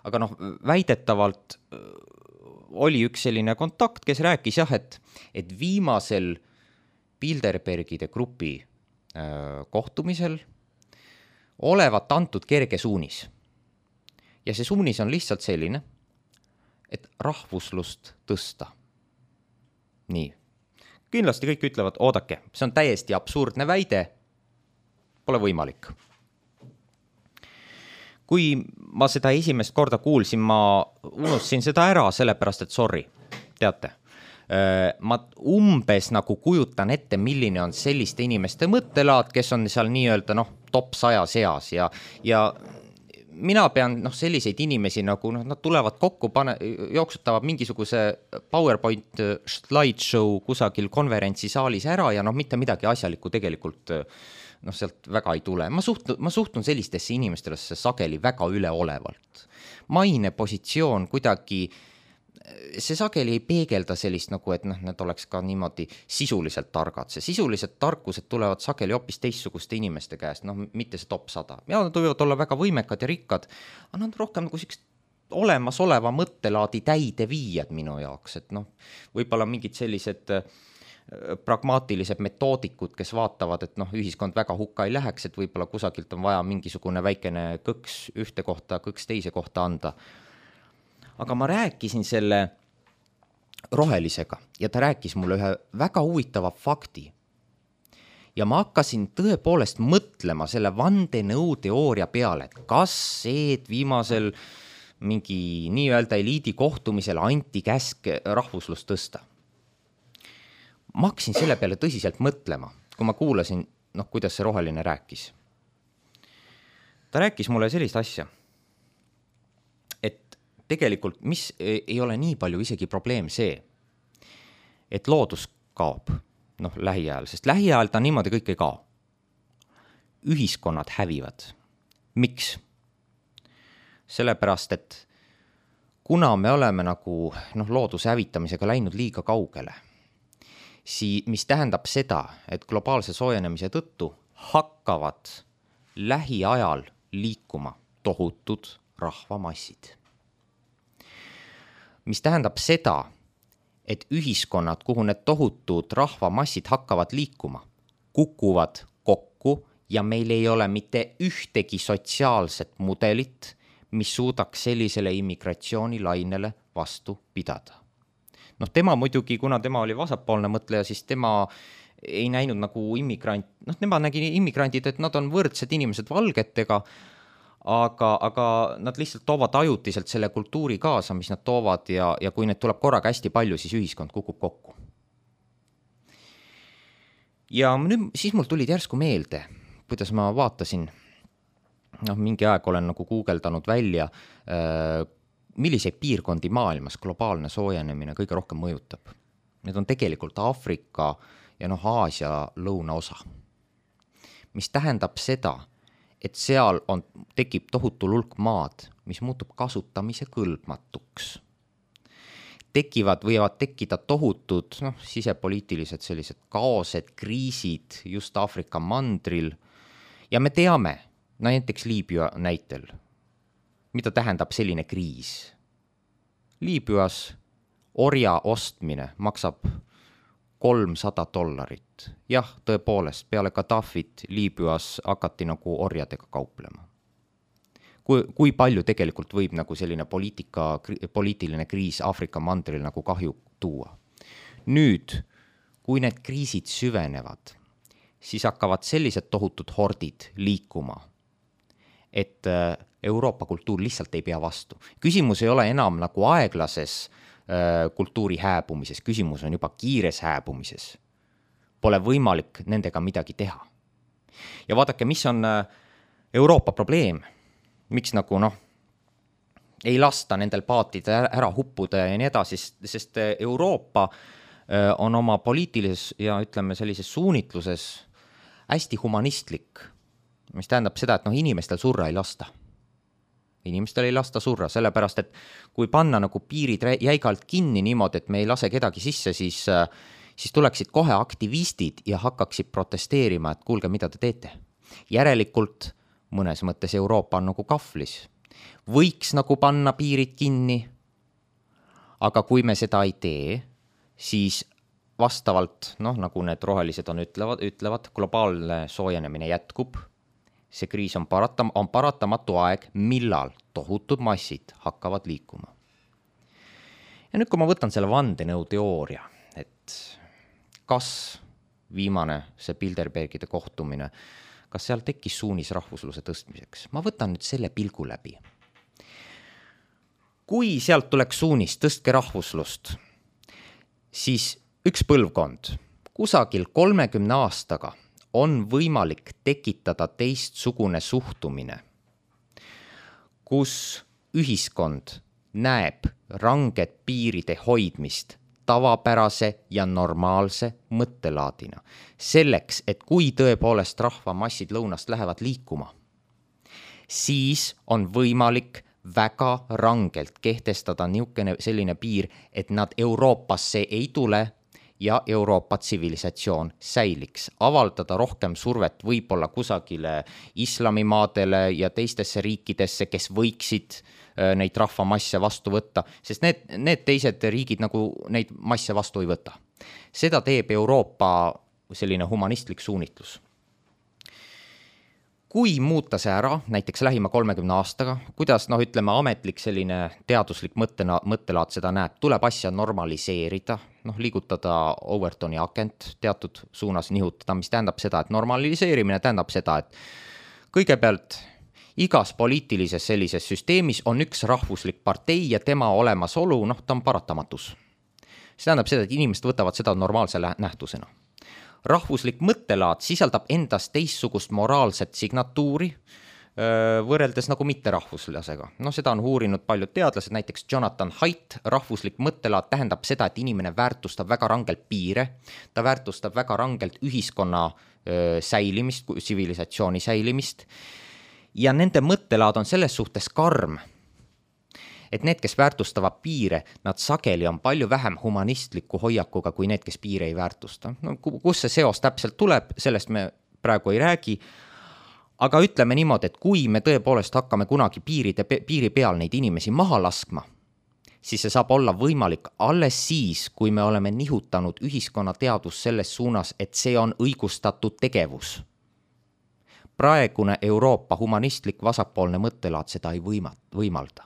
aga väidetavalt oli üks selline kontakt, kes rääkis et viimasel Bilderbergide grupi kohtumisel olevat antud kerge suunis. Ja see suunis on lihtsalt selline, et rahvuslust tõsta. Nii. Kindlasti kõik ütlevad, oodake, see on täiesti absurdne väide, pole võimalik. Kui ma seda esimest korda kuulsin, ma unustasin seda ära, sellepärast, et sorry, teate. Ma umbes nagu kujutan ette, milline on selliste inimeste mõttelaad, kes on seal nii-öelda top 100 seas ja mina pean selliseid inimesi nagu nad tulevad kokku, jooksutavad mingisuguse PowerPoint slideshow kusagil konverentsisaalis ära ja mitte midagi asjalikku tegelikult sealt väga ei tule. Ma suhtun sellistesse inimestesse sageli väga üleolevalt. Maine positsioon kuidagi, see sageli ei peegelda sellist et nad oleks ka niimoodi sisuliselt targad. See sisuliselt tarkused tulevad sageli hoopis teistsuguste inimeste käest, mitte see top 100. Ja nad võivad olla väga võimekad ja rikkad, aga nad rohkem nagu olemasoleva mõttelaadi täide viijad minu jaoks, et võib-olla mingid sellised pragmaatilised metoodikud, kes vaatavad, et ühiskond väga hukka ei läheks, et võib-olla kusagilt on vaja mingisugune väikene kõks ühte kohta, kõks teise kohta anda. Aga ma rääkisin selle rohelisega ja ta rääkis mulle ühe väga huvitava fakti. Ja ma hakkasin tõepoolest mõtlema selle vandenõuteooria peale, et kas see, et viimasel mingi nii-öelda eliidi kohtumisel anti käsk rahvuslust tõsta. Ma hakkasin selle peale tõsiselt mõtlema, kui ma kuulasin, kuidas see roheline rääkis. Ta rääkis mulle sellist asja, et tegelikult, mis ei ole nii palju isegi probleem see, et loodus kaob lähiajal, sest lähiajal ta niimoodi kõik ei kao. Ühiskonnad hävivad. Miks? Sellepärast, et kuna me oleme nagu looduse hävitamisega läinud liiga kaugele, mis tähendab seda, et globaalse soojenemise tõttu hakkavad lähiajal liikuma tohutud rahvamassid. Mis tähendab seda, et ühiskonnad, kuhu need tohutud rahvamassid hakkavad liikuma, kukuvad kokku ja meil ei ole mitte ühtegi sotsiaalset mudelit, mis suudaks sellisele immigratsioonilainele vastu pidada. Noh, tema muidugi, kuna tema oli vasakpoolne mõtleja, siis tema ei näinud nagu immigrant, noh, tema nägi immigrandid, et nad on võrdsed inimesed valgetega, aga nad lihtsalt toovad ajutiselt selle kultuuri kaasa, mis nad toovad ja kui need tuleb korraga hästi palju, siis ühiskond kukub kokku. Ja nüüd, siis mul tulid järsku meelde, kuidas ma vaatasin, noh, mingi aeg olen nagu guugeldanud välja, milliseid piirkondi maailmas globaalne soojenemine kõige rohkem mõjutab. Need on tegelikult Aafrika ja Aasia lõunaosa, mis tähendab seda, et seal tekib tohutu hulk maad, mis muutub kasutamise kõlbmatuks. Võivad tekkida tohutud sisepoliitilised sellised kaosed, kriisid just Aafrika mandril ja me teame, näiteks Liibüa näitel, mida tähendab selline kriis. Liibüas orja ostmine maksab $300. Jah, tõepoolest, peale Gaddafit Liibüas hakati nagu orjadega kauplema. Kui palju tegelikult võib nagu selline poliitiline kriis Aafrika mandril nagu kahju tuua. Nüüd, kui need kriisid süvenevad, siis hakkavad sellised tohutud hordid liikuma, et Euroopa kultuur lihtsalt ei pea vastu. Küsimus ei ole enam nagu aeglases kultuuri hääbumises, küsimus on juba kiires hääbumises. Pole võimalik nendega midagi teha. Ja vaadake, mis on Euroopa probleem, miks nagu ei lasta nendel paatide ära huppuda ja nii edasi, sest Euroopa on oma poliitilises ja ütleme sellises suunitluses hästi humanistlik, mis tähendab seda, et inimestel surra ei lasta. Inimestel ei lasta surra, sellepärast, et kui panna nagu piirid jäigalt kinni niimoodi, et me ei lase kedagi sisse, siis tuleksid kohe aktivistid ja hakkaksid protesteerima, et kuulge, mida te teete. Järelikult mõnes mõttes Euroopa on nagu kahvlis. Võiks nagu panna piirid kinni, aga kui me seda ei tee, siis vastavalt, nagu need rohelised ütlevad, globaalne soojenemine jätkub. See kriis on paratamatu aeg, millal tohutud massid hakkavad liikuma. Ja nüüd, kui ma võtan selle vandenõuteooria, et kas viimane see Bilderbergide kohtumine, kas seal tekkis suunis rahvusluse tõstmiseks? Ma võtan nüüd selle pilgu läbi. Kui sealt tuleks suunis tõstke rahvuslust, siis üks põlvkond, kusagil 30 aastaga on võimalik tekitada teistsugune suhtumine, kus ühiskond näeb ranget piiride hoidmist tavapärase ja normaalse mõttelaadina. Selleks, et kui tõepoolest rahvamassid lõunast lähevad liikuma, siis on võimalik väga rangelt kehtestada selline piir, et nad Euroopasse ei tule ja Euroopa tsivilisatsioon säiliks. Avaldada rohkem survet võib-olla kusagile islamimaadele ja teistesse riikidesse, kes võiksid neid rahvamasse vastu võtta, sest need teised riigid nagu neid masse vastu ei võta. Seda teeb Euroopa selline humanistlik suunitlus. Kui muuta see ära, näiteks lähima 30 aastaga, kuidas ametlik selline teaduslik mõttelaad seda näeb, tuleb asja normaliseerida, liigutada Overtoni akent teatud suunas nihutada, mis tähendab seda, et normaliseerimine tähendab seda, et kõigepealt igas poliitilises sellises süsteemis on üks rahvuslik partei ja tema olemasolu, ta on paratamatus. See tähendab seda, et inimesed võtavad seda normaalse nähtusena. Rahvuslik mõttelaad sisaldab endas teistsugust moraalset signatuuri võrreldes nagu mitterahvuslasega. Seda on uurinud paljud teadlased, näiteks Jonathan Haidt. Rahvuslik mõttelaad tähendab seda, et inimene väärtustab väga rangelt piire, ta väärtustab väga rangelt ühiskonna säilimist, tsivilisatsiooni säilimist ja nende mõttelaad on selles suhtes karm, et need, kes väärtustavad piire, nad sageli on palju vähem humanistliku hoiakuga kui need, kes piire ei väärtusta. Kus see seos täpselt tuleb, sellest me praegu ei räägi, aga ütleme niimoodi, et kui me tõepoolest hakkame kunagi piiri peal neid inimesi maha laskma, siis see saab olla võimalik alles siis, kui me oleme nihutanud ühiskonnateadus selles suunas, et see on õigustatud tegevus. Praegune Euroopa humanistlik vasakpoolne mõttelaad seda ei võimalda.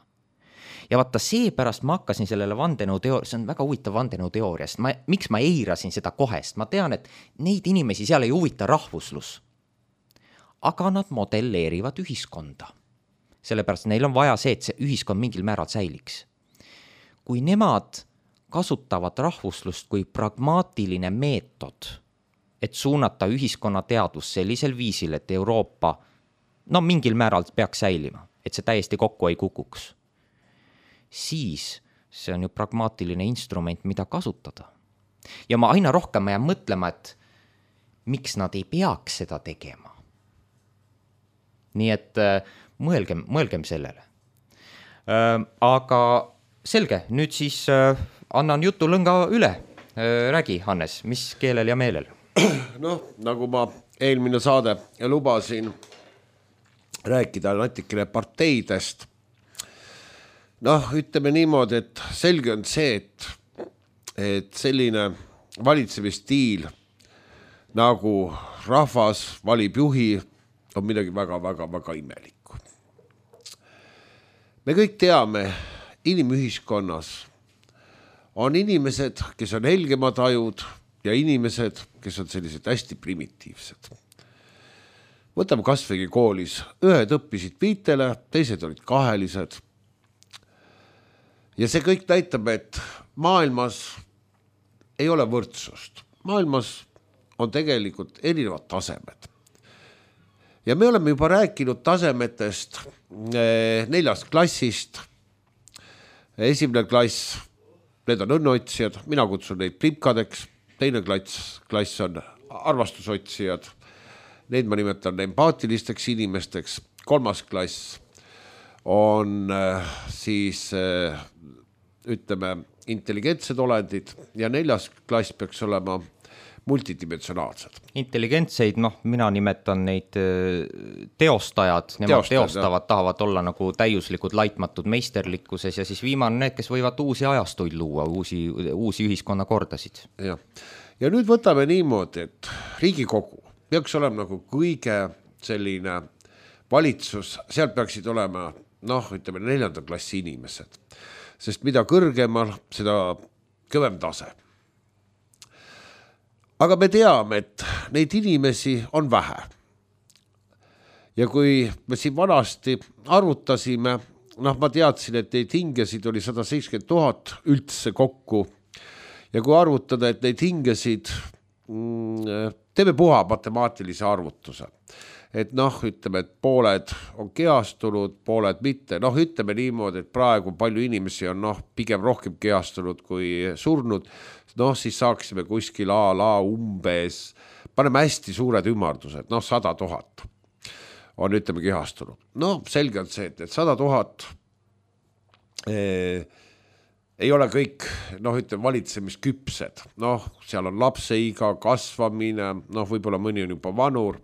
Ja vaata, seepärast ma hakkasin sellele see on väga huvitav vandenõuteooria, sest miks ma eirasin seda kohest, ma tean, et neid inimesi seal ei huvita rahvuslus, aga nad modelleerivad ühiskonda. Sellepärast neil on vaja see, et see ühiskond mingil määral säiliks. Kui nemad kasutavad rahvuslust kui pragmaatiline meetod, et suunata ühiskonna teadvus sellisel viisil, et Euroopa mingil määral peaks säilima, et see täiesti kokku ei kukuks, siis see on ju pragmaatiline instrument, mida kasutada. Ja ma aina rohkem jään mõtlema, et miks nad ei peaks seda tegema. Nii et mõelgem sellele. Aga selge, nüüd siis annan jutulõnga üle. Räägi, Hannes, mis keelel ja meelel? Nagu ma eelmine saade lubasin rääkida natikene parteidest. Ütleme niimoodi, et selge on see, et selline valitsemisstiil nagu rahvas valib juhi on midagi väga imelikku. Me kõik teame, inimühiskonnas on inimesed, kes on helgemad ajud ja inimesed, kes on sellised hästi primitiivsed. Võtame kasvõi koolis. Ühed õppisid 5, teised olid 2. Ja see kõik näitab, et maailmas ei ole võrdsust. Maailmas on tegelikult erinevad tasemed. Ja me oleme juba rääkinud tasemetest 4. klassist. 1. klass, need on õnneotsijad, mina kutsun neid primkadeks. 2. klass on arvastusotsijad. Neid ma nimetan empaatilisteks inimesteks. 3. klass on siis, ütleme, intelligentsed olendid ja 4. klass peaks olema multidimensionaalsed. Intelligentseid, mina nimetan neid teostajad, nemad teostavad, tahavad olla nagu täiuslikud, laitmatud meisterlikkuses ja siis viimane need, kes võivad uusi ajastuid luua, uusi ühiskonnakordasid. Ja nüüd võtame niimoodi, et Riigikogu peaks olema nagu kõige selline valitsus, seal peaksid olema, ütleme 4. klassi inimesed, sest mida kõrgemal, seda kõvem tase. Aga me teame, et neid inimesi on vähe. Ja kui me siin vanasti arvutasime, ma teadsin, et neid hingesid oli 170 000 üldse kokku. Ja kui arvutada, et neid hingesid, teeme puha matemaatilise arvutuse. Et ütleme, et pooled on kehastunud, pooled mitte. Ütleme niimoodi, et praegu palju inimesi on pigem rohkem kehastunud kui surnud. Siis saaksime kuskil umbes, paneme hästi suured ümardused, 100 000 on, ütleme, kehastunud. Selge on see, et 100 000 ei ole kõik, ütleme, valitsemisküpsed. Seal on lapseiga, kasvamine, võib-olla mõni on juba vanur.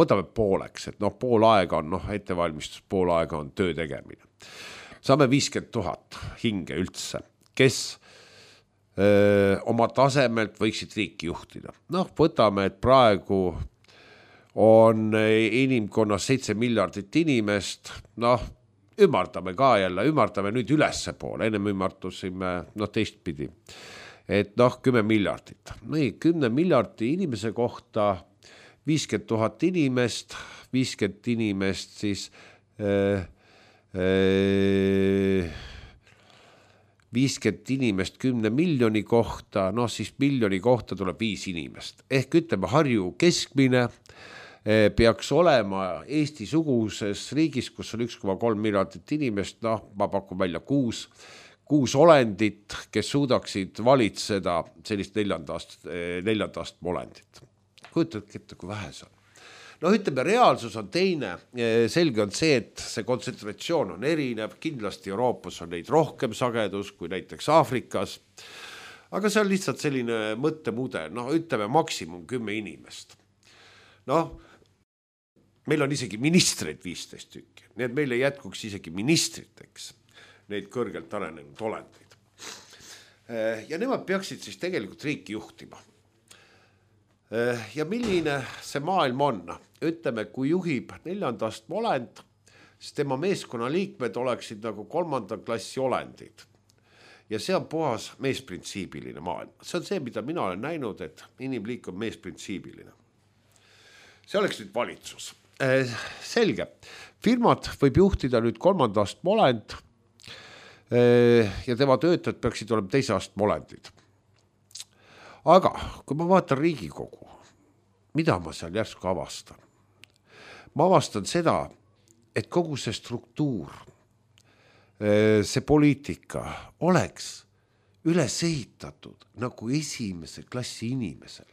Võtame pooleks, et pool aega on ettevalmistus, pool aega on töö tegemine. Saame 50 000 hinge üldse, kes oma tasemelt võiksid riiki juhtida. Võtame, et praegu on inimkonnas 7 miljardit inimest, ümardame ka jälle, ümardame nüüd ülesse poole, ennem ümartusime teistpidi, et 10 miljardit. 10 miljardi inimese kohta 50 000 inimest, 50 inimest siis 50 inimest 10 miljoni kohta, siis miljoni kohta tuleb 5 inimest. Ehk ütleme, Harju keskmine peaks olema Eesti-suguses riigis, kus on 1,3 miljardit inimest, ma pakun välja 6 olendit, kes suudaksid valitseda sellist 4. astme olendit. Kujutadki ette, kui vähe see on. Ütleme, reaalsus on teine. Selge on see, et see kontsentratsioon on erinev. Kindlasti Euroopas on neid rohkem sagedus kui näiteks Aafrikas. Aga see on lihtsalt selline mõttemudel. Ütleme, maksimum 10 inimest. Meil on isegi ministreid 15 tükki. Nii et meil ei jätkuks isegi ministriteks neid kõrgelt arenenud olendeid. Ja nemad peaksid siis tegelikult riiki juhtima. Ja milline see maailm on? Ütleme, kui juhib 4. astme olend, sest tema meeskonna liikmed oleksid nagu 3. klassi olendid. Ja see on puhas meesprintsiibiline maailm. See on see, mida mina olen näinud, et inimliik on meesprintsiibiline. See oleks nüüd valitsus. Selge. Firmat võib juhtida nüüd 3. astme olend ja tema töötajad peaksid olema 2. astme olendid. Aga kui ma vaatan Riigikogu, mida ma seal järsku avastan? Ma avastan seda, et kogu see struktuur, see poliitika oleks üles ehitatud nagu esimese klassi inimesel.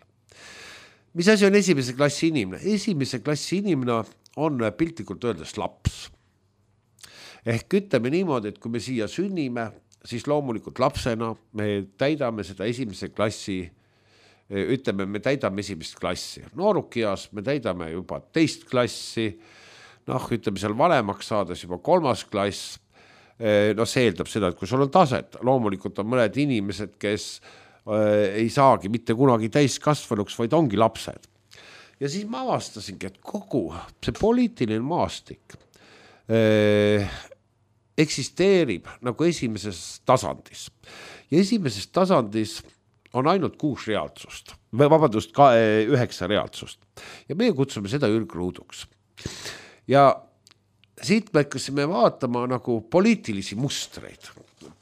Mis asi on esimese klassi inimene? Esimese klassi inimene on piltlikult öeldes laps. Ehk ütleme niimoodi, et kui me siia sünnime, siis loomulikult lapsena me täidame seda esimese klassi, ütleme, me täidame esimest klassi. Noorukias me täidame juba 2. klassi, ütleme seal vanemaks saades juba 3. klass. See eeldab seda, et kui sul on taset, loomulikult on mõned inimesed, kes ei saagi mitte kunagi täiskasvanuks, vaid ongi lapsed. Ja siis ma avastasingi, et kogu see poliitiline maastik eksisteerib nagu esimeses tasandis. Ja esimeses tasandis on ainult 6 reaalsust, vabandust, 9 reaalsust. Ja meie kutsume seda ürgruuduks. Ja siit me hakkasime vaatama nagu poliitilisi mustreid,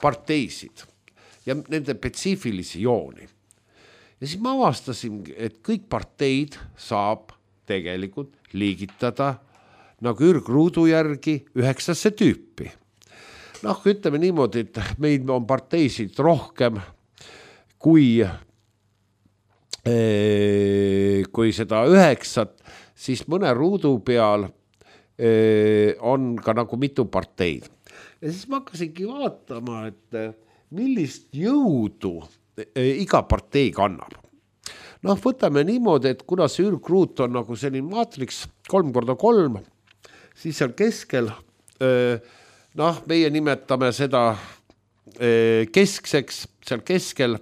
parteisid ja nende spetsiifilisi jooni. Ja siis ma avastasin, et kõik parteid saab tegelikult liigitada nagu ürgruudu järgi 9 tüüpi. Ütleme niimoodi, et meil on parteisid rohkem kui seda 9, siis mõne ruudu peal on ka nagu mitu parteid. Ja siis ma hakkasingi vaatama, et millist jõudu iga partei kannab. Võtame niimoodi, et kuna see ürgruut on nagu selline maatriks 3x3, siis seal keskel, meie nimetame seda keskseks, seal keskel,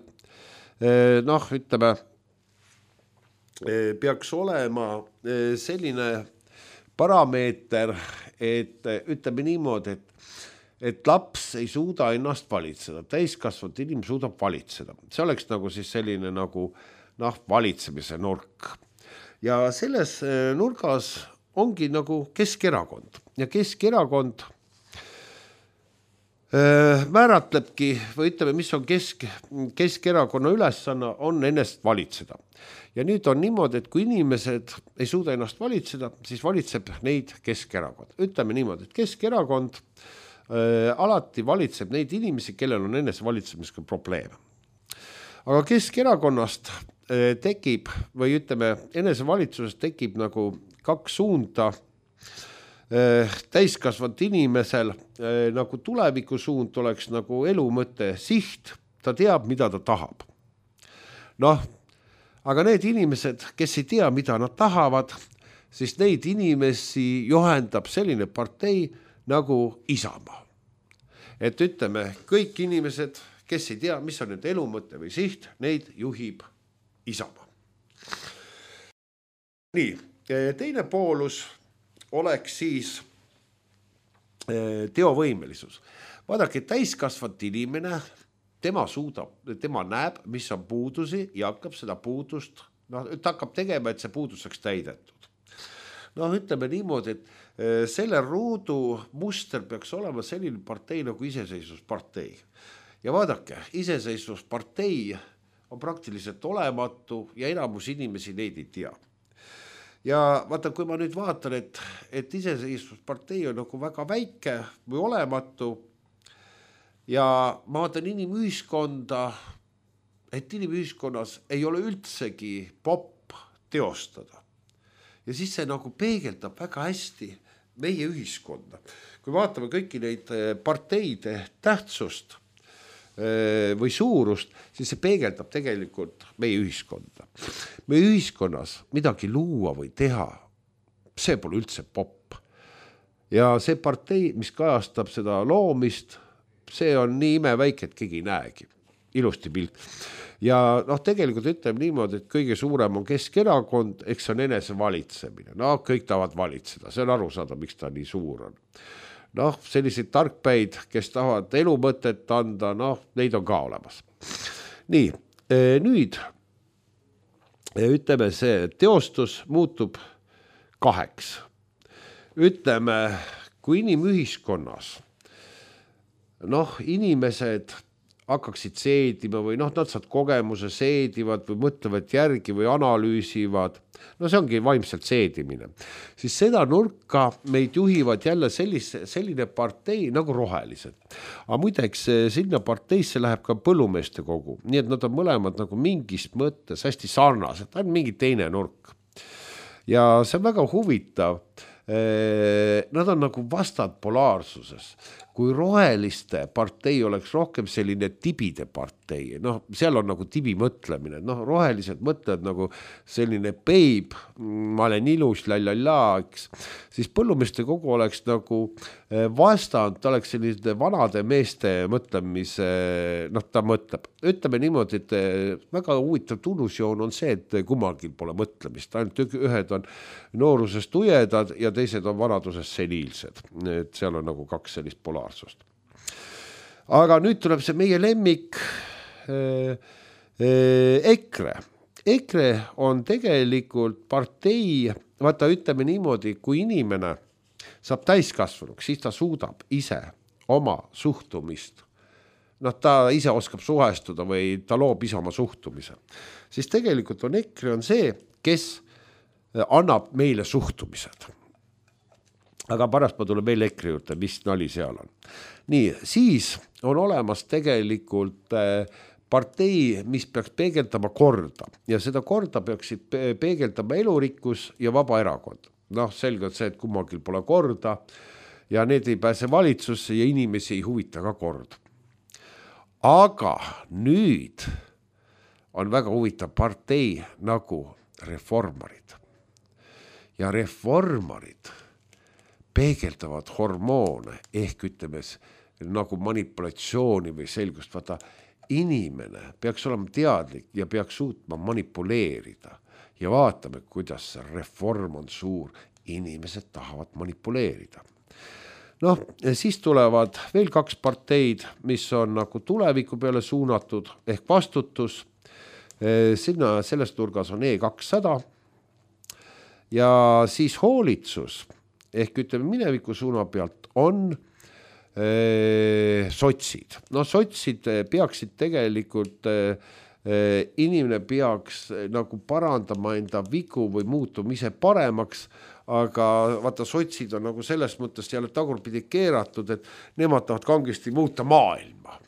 ütleme, peaks olema selline parameeter, et ütleme niimoodi, et laps ei suuda ennast valitseda, täiskasvanud inimene suudab valitseda. See oleks nagu siis selline nagu valitsemise nurk. Ja selles nurgas ongi nagu Keskerakond. Ja Keskerakond määratlebki, või ütleme, mis on Keskerakonna ülesanne, on ennast valitseda. Ja nüüd on niimoodi, et kui inimesed ei suuda ennast valitseda, siis valitseb neid Keskerakond. Ütleme niimoodi, et Keskerakond alati valitseb neid inimesi, kellel on enese valitsemisega probleeme. Aga Keskerakonnast tekib, või ütleme, enese valitsuses tekib nagu 2 suunda täiskasvanud inimesel, nagu tuleviku suund oleks nagu elu mõte siht, ta teab, mida ta tahab. Aga need inimesed, kes ei tea, mida nad tahavad, siis neid inimesi juhendab selline partei nagu Isamaa. Et ütleme, kõik inimesed, kes ei tea, mis on nende elu mõte või siht, neid juhib Isamaa. Nii, teine poolus oleks siis teovõimelisus. Vaadake, täiskasvanud inimene, tema näeb, mis on puudusi ja hakkab seda puudust, ta hakkab tegema, et see puudus saaks täidetud. Ütleme niimoodi, et selle ruudu muster peaks olema selline partei nagu iseseisvuspartei. Ja vaadake, iseseisvuspartei on praktiliselt olematu ja enamus inimesi neid ei tea. Ja vaata, kui ma nüüd vaatan, et iseseisvuspartei on nagu väga väike või olematu ja ma vaatan inimühiskonda, et inimühiskonnas ei ole üldsegi popp teostada. Ja siis see nagu peegeldab väga hästi meie ühiskonda. Kui vaatame kõiki neid parteide tähtsust või suurust, siis see peegeldab tegelikult meie ühiskonda. Meie ühiskonnas midagi luua või teha, see pole üldse popp. Ja see partei, mis kajastab seda loomist, see on nii imeväike, et keegi ei näegi. ilusti pilt. Ja tegelikult ütleme niimoodi, et kõige suurem on Keskerakond, eks on enese valitsemine. Kõik tahavad valitseda, see on aru saada, miks ta nii suur on. Selliseid tarkpäid, kes tahavad elumõtet anda, neid on ka olemas. Nii, nüüd ütleme see teostus muutub 2. Ütleme, kui inimühiskonnas inimesed hakkaksid seedima või nad saad kogemuse, seedivad või mõtlevad järgi või analüüsivad, see ongi vaimselt seedimine, siis seda nurka meid juhivad jälle selline partei nagu rohelised. Aga muideks sinna parteisse läheb ka põllumeeste kogu, nii et nad on mõlemad nagu mingis mõttes hästi sarnased, on mingi teine nurk. Ja see on väga huvitav. Nad on nagu vastad polaarsuses. Kui roheliste partei oleks rohkem selline tibide partei, seal on nagu tibi mõtlemine, rohelised mõtlevad nagu selline peib, ma olen ilus, eks, siis põllumeeste kogu oleks nagu vastand, ta oleks selliste vanade meeste mõtlemise, ta mõtleb. Ütleme niimoodi, et väga huvitav tunnusjoon on see, et kummalgi pole mõtlemist, ainult ühed on noorusest ujedad ja teised on vanadusest seniilsed, et seal on nagu 2 sellist polaarsust. Aga nüüd tuleb see meie lemmik EKRE. EKRE on tegelikult partei, vaata ütleme niimoodi, kui inimene saab täiskasvanuks, siis ta suudab ise oma suhtumist, ta ise oskab suhestuda või ta loob ise oma suhtumise. Siis tegelikult on EKRE on see, kes annab meile suhtumised. Aga pärast ma tulen veel EKRE juurde, mis nali seal on. Nii, siis on olemas tegelikult partei, mis peaks peegeldama korda ja seda korda peaksid peegeldama elurikkus ja vaba erakond. Selgelt see, et kummalgi pole korda ja need ei pääse valitsusse ja inimesi ei huvita ka kord. Aga nüüd on väga huvitav partei nagu reformarid. Ja reformarid peegeldavad hormoone ehk ütleme nagu manipulatsiooni või selgust. Vaata, inimene peaks olema teadlik ja peaks suutma manipuleerida ja vaatame, kuidas see reform on suur. Inimesed tahavad manipuleerida. Siis tulevad veel 2 parteid, mis on nagu tuleviku peale suunatud ehk vastutus. Sinna selles nurgas on E200 ja siis hoolitsus ehk ütleme mineviku suuna pealt on sotsid. Sotsid peaksid tegelikult, inimene peaks nagu parandama enda vigu või muutuma ise paremaks, aga vaata sotsid on nagu selles mõttes jälle tagurpidi keeratud, et nemad tahavad kangesti muuta maailma.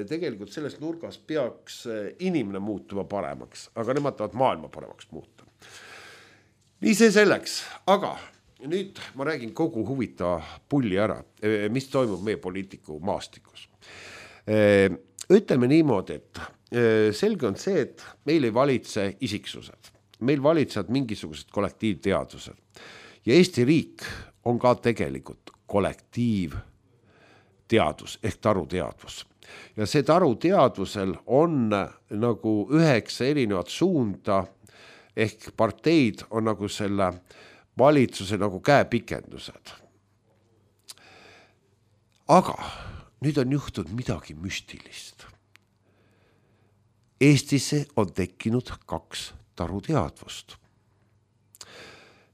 Tegelikult selles nurgas peaks inimene muutuma paremaks, aga nemad tahavad maailma paremaks muuta. Nii see selleks, aga nüüd ma räägin kogu huvitava pulli ära, mis toimub meie poliitiku maastikus. Ütleme niimoodi, et selge on see, et meil ei valitse isiksused. Meil valitsevad mingisugused kollektiivteadused. Ja Eesti riik on ka tegelikult kollektiivteadus ehk taruteadvus. Ja see taruteadvusel on nagu 9 erinevat suunda ehk parteid on nagu selle valitsuse nagu käepikendused. Aga nüüd on juhtunud midagi müstilist. Eestisse on tekkinud 2 taruteadvust.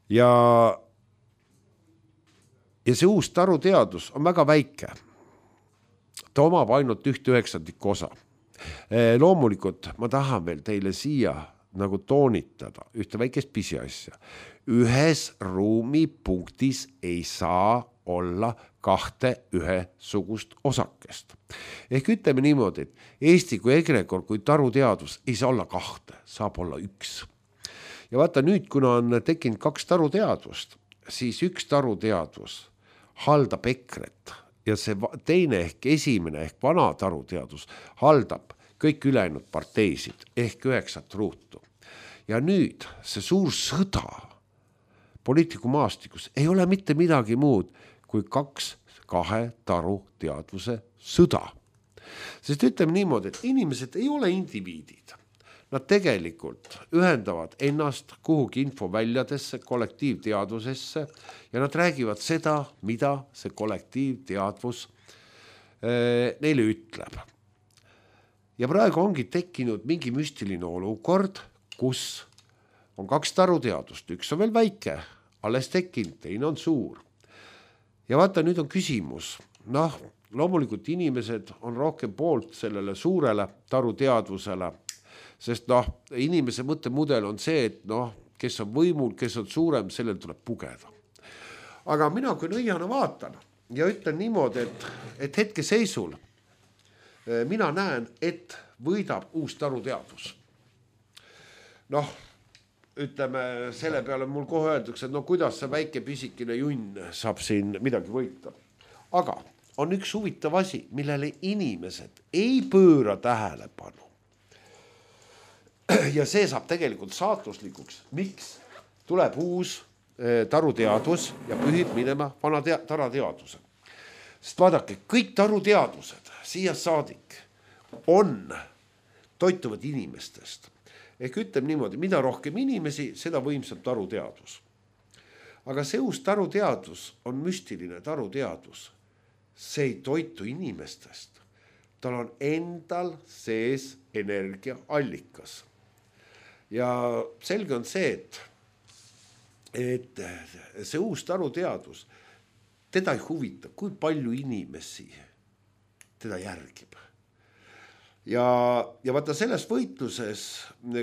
Ja see uus taruteadus on väga väike. Ta omab ainult 1/9 osa. Loomulikult ma tahan veel teile siia nagu toonitada ühte väikest pisiasja. Ühes ruumipunktis ei saa olla 2 ühesugust osakest. Ehk ütleme niimoodi, et Eesti kui egregor, kui taruteadus ei saa olla 2, saab olla 1. Ja vaata nüüd, kuna on tekkinud 2 taruteadvust, siis 1 taruteadvus haldab EKRE-t ja see teine ehk esimene ehk vana taruteadus haldab kõik ülejäänud parteisid ehk 9 ruutu. Ja nüüd see suur sõda poliitikumaastikus ei ole mitte midagi muud kui 2 taruteadvuse sõda. Sest ütleme niimoodi, et inimesed ei ole indiviidid. Nad tegelikult ühendavad ennast kuhugi infoväljadesse, kollektiivteadvusesse ja nad räägivad seda, mida see kollektiivteadvus neile ütleb. Ja praegu ongi tekkinud mingi müstiline olukord, kus on 2 taruteadust, üks on veel väike, alles tekkinud, teine on suur. Ja vaata, nüüd on küsimus, loomulikult inimesed on rohkem poolt sellele suurele taruteadvusele, sest inimese mõttemudel on see, et kes on võimul, kes on suurem, sellel tuleb pugeda. Aga mina kui nõiana vaatan ja ütlen niimoodi, et hetke seisul mina näen, et võidab uus taruteadvus. Ütleme, selle peale mul kohe öeldakse, et kuidas see väike pisikine junn saab siin midagi võita. Aga on üks huvitav asi, millele inimesed ei pööra tähelepanu. Ja see saab tegelikult saatuslikuks. Miks? Tuleb uus taruteadvus ja pühib minema vana tarateadvuse. Sest vaadake, kõik taruteadvused siia saadik toituvad inimestest. Ehk ütleme niimoodi, mida rohkem inimesi, seda võimsam taruteadvus. Aga see uus taruteadvus on müstiline taruteadvus. See ei toitu inimestest. Tal on endal sees energiaallikas. Ja selge on see, et see uus taruteadvus, teda ei huvita, kui palju inimesi teda järgib. Ja vaata selles võitluses,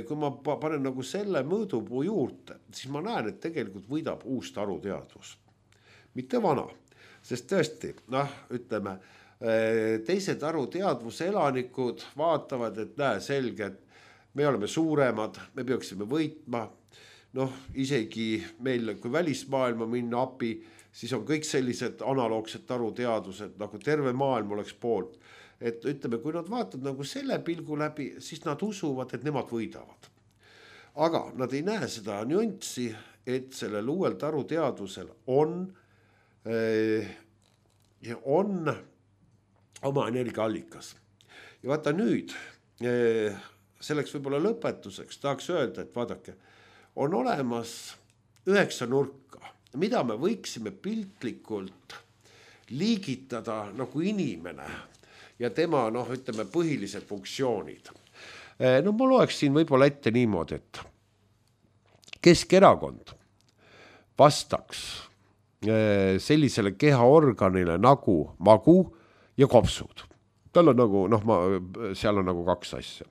kui ma panen nagu selle mõõdupuu juurde, siis ma näen, et tegelikult võidab uus taruteadvus. Mitte vana, sest tõesti, ütleme, teise taruteadvuse elanikud vaatavad, et näe selge, et me oleme suuremad, me peaksime võitma, isegi meil, kui välismaailma minna api, siis on kõik sellised analoogsed taruteadvused, nagu terve maailm oleks poolt. Et ütleme, kui nad vaatavad nagu selle pilgu läbi, siis nad usuvad, et nemad võidavad. Aga nad ei näe seda nüanssi, et sellel uuel taruteadvusel on oma energiaallikas. Ja vaata nüüd, selleks võib-olla lõpetuseks tahaks öelda, et vaadake, on olemas 9 nurka, mida me võiksime piltlikult liigitada nagu inimene ja tema, ütleme, põhilised funktsioonid. Ma loeks siin võib-olla ette niimoodi, et Keskerakond vastaks sellisele kehaorganile nagu magu ja kopsud. Tal on nagu, seal on nagu 2 asja.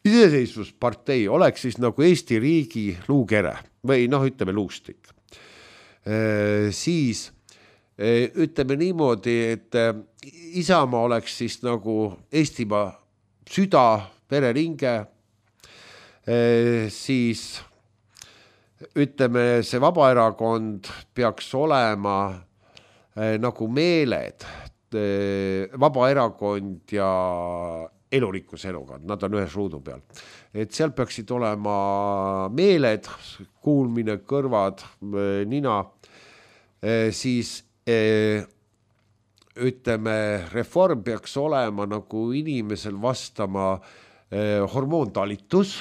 Iseseisvuspartei oleks siis nagu Eesti riigi luukere või ütleme luustik. Siis ütleme niimoodi, et Isamaa oleks siis nagu Eestimaa süda, vereringe, siis ütleme, see Vabaerakond peaks olema nagu meeled, Vabaerakond ja elurikkuse elukond, nad on ühes ruudu peal. Et seal peaksid olema meeled, kuulmine, kõrvad, nina, siis ütleme, reform peaks olema nagu inimesel vastama hormoontalitus.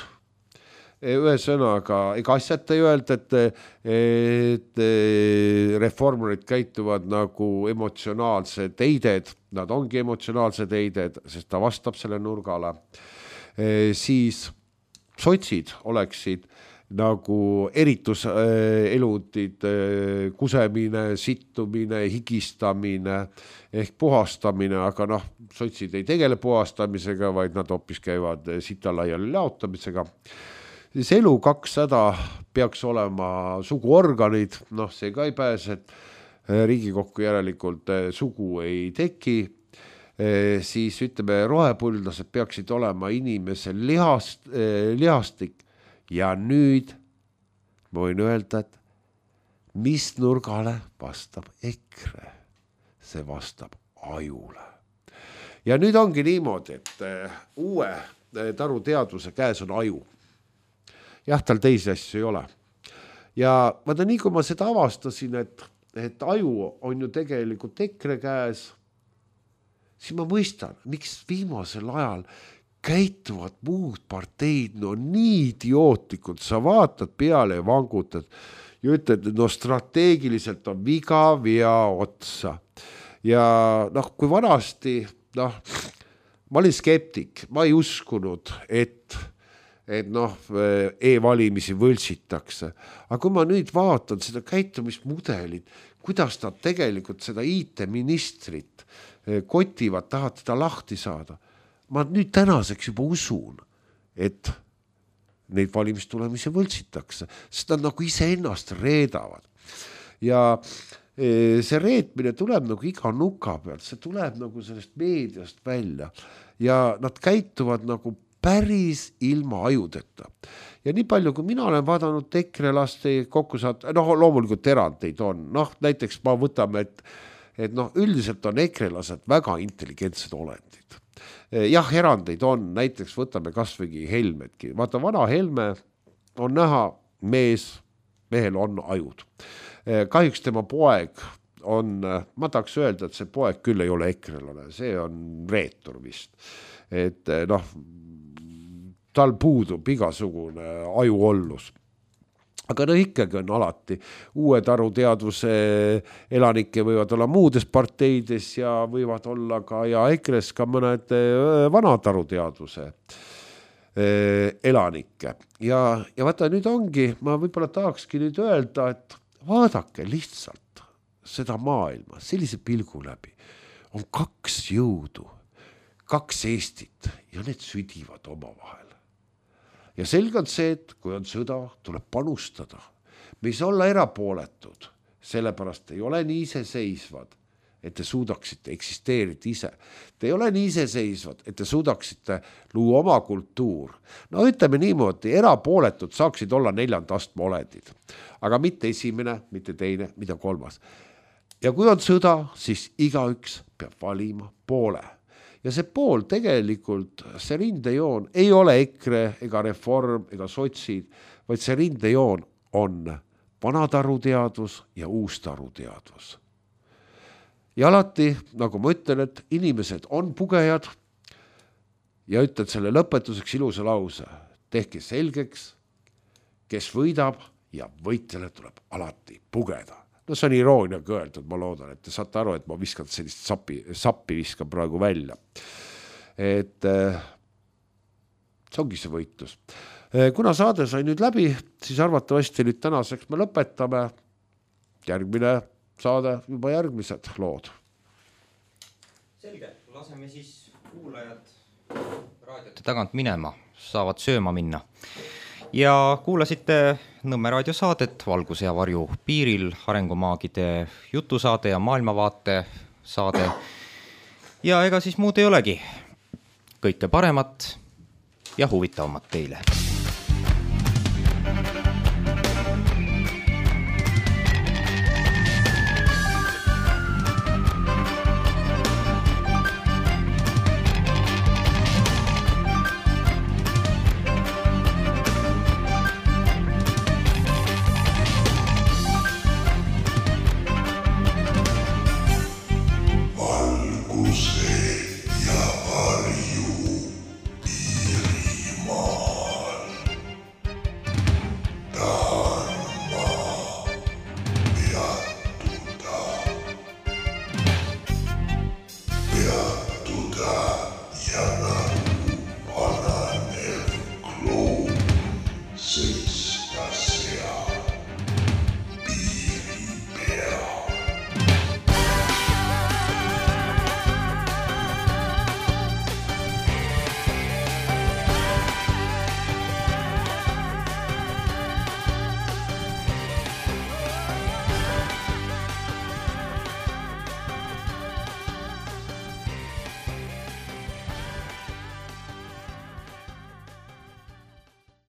Ühesõnaga, ega asjata ei öelda, et reformerid käituvad nagu emotsionaalsed eided, nad ongi emotsionaalsed eided, sest ta vastab selle nurgale. Siis sotsid oleksid nagu erituseludid, kusemine, sittumine, higistamine ehk puhastamine, aga sotsid ei tegele puhastamisega, vaid nad hoopis käivad sitalaiali laotamisega. Siis elu 200 peaks olema suguorganid, see ka ei pääse, Riigikokku järelikult sugu ei teki, siis ütleme, rohepõldlased peaksid olema inimesel lihastik ja nüüd ma võin öelda, et mis nurgale vastab EKRE, see vastab ajule. Ja nüüd ongi niimoodi, et uue taruteadvuse käes on aju. Jah, tal teisi asju ei ole. Ja vaata, nii kui ma seda avastasin, et aju on ju tegelikult EKRE käes, siis ma mõistan, miks viimasel ajal käituvad muud parteid, no nii idiootlikud, sa vaatad peale ja vangutad ja ütled, no strateegiliselt on viga vea otsa. Ja noh, kui vanasti, noh, ma olin skeptik, ma ei uskunud, et noh, e-valimisi võltsitakse. Aga kui ma nüüd vaatan seda käitumismudelit, kuidas nad tegelikult seda IT-ministrit kotivad, tahavad teda lahti saada. Ma nüüd tänaseks juba usun, et neid valimistulemisi võltsitakse, sest nad nagu iseennast reedavad. Ja see reetmine tuleb nagu iga nuka pealt, see tuleb nagu sellest meediast välja ja nad käituvad nagu päris ilma ajudeta. Ja nii palju, kui mina olen vaadanud EKRE-laste kokku saada, noh, loomulikult erandeid on. Noh, näiteks ma võtame, et noh, üldiselt on EKRE-lased väga intelligentsed olendid. Jah, erandeid on, näiteks võtame kasvõi Helmetki. Vaata, vana Helme on näha mehel on ajud. Kahjuks tema poeg on, ma tahaks öelda, et see poeg küll ei ole EKRE-lane, see on reetur vist. Et noh, tal puudub igasugune ajuollus. Aga no ikkagi on alati uued aruteadvuse elanikke võivad olla muudes parteides ja võivad olla ka ja EKRE-s ka mõned vanad aruteadvuse elanikke. Ja vaata, nüüd ongi, ma võib-olla tahakski nüüd öelda, et vaadake lihtsalt seda maailma sellise pilgu läbi. On kaks jõudu, kaks Eestit ja need südivad oma vahel. Ja selge on see, et kui on sõda, tuleb panustada. Me ei saa olla erapooletud, sellepärast ei ole nii iseseisvad, et te suudaksite eksisteerida ise. Te ei ole nii iseseisvad, et te suudaksite luua oma kultuur. No ütleme niimoodi, erapooletud saaksid olla 4. astme olendid, aga mitte esimene, mitte teine, mida 3. Ja kui on sõda, siis igaüks peab valima poole. Ja see pool tegelikult, see rindejoon ei ole EKRE ega Reform ega sotsid, vaid see rindejoon on vanataruteadvus ja uustaruteadvus. Ja alati, nagu ma ütlen, et inimesed on pugejad ja ütled selle lõpetuseks ilusa lause. Tehke selgeks, kes võidab ja võitjale tuleb alati pugeda. No see on irooniaga öeldud, ma loodan, et te saate aru, et ma viskan sellist sappi viskan praegu välja. Et see ongi see võitlus. Kuna saade sai nüüd läbi, siis arvatavasti nüüd tänaseks me lõpetame. Järgmine saade, juba järgmised lood. Selge, laseme siis kuulajad raadiote tagant minema, saavad sööma minna. Ja kuulasite Nõmme raadio saadet Valguse ja varju piiril, arengumaagide jutusaade ja maailmavaate saade. Ja ega siis muud ei olegi. Kõike paremat ja huvitavamat teile.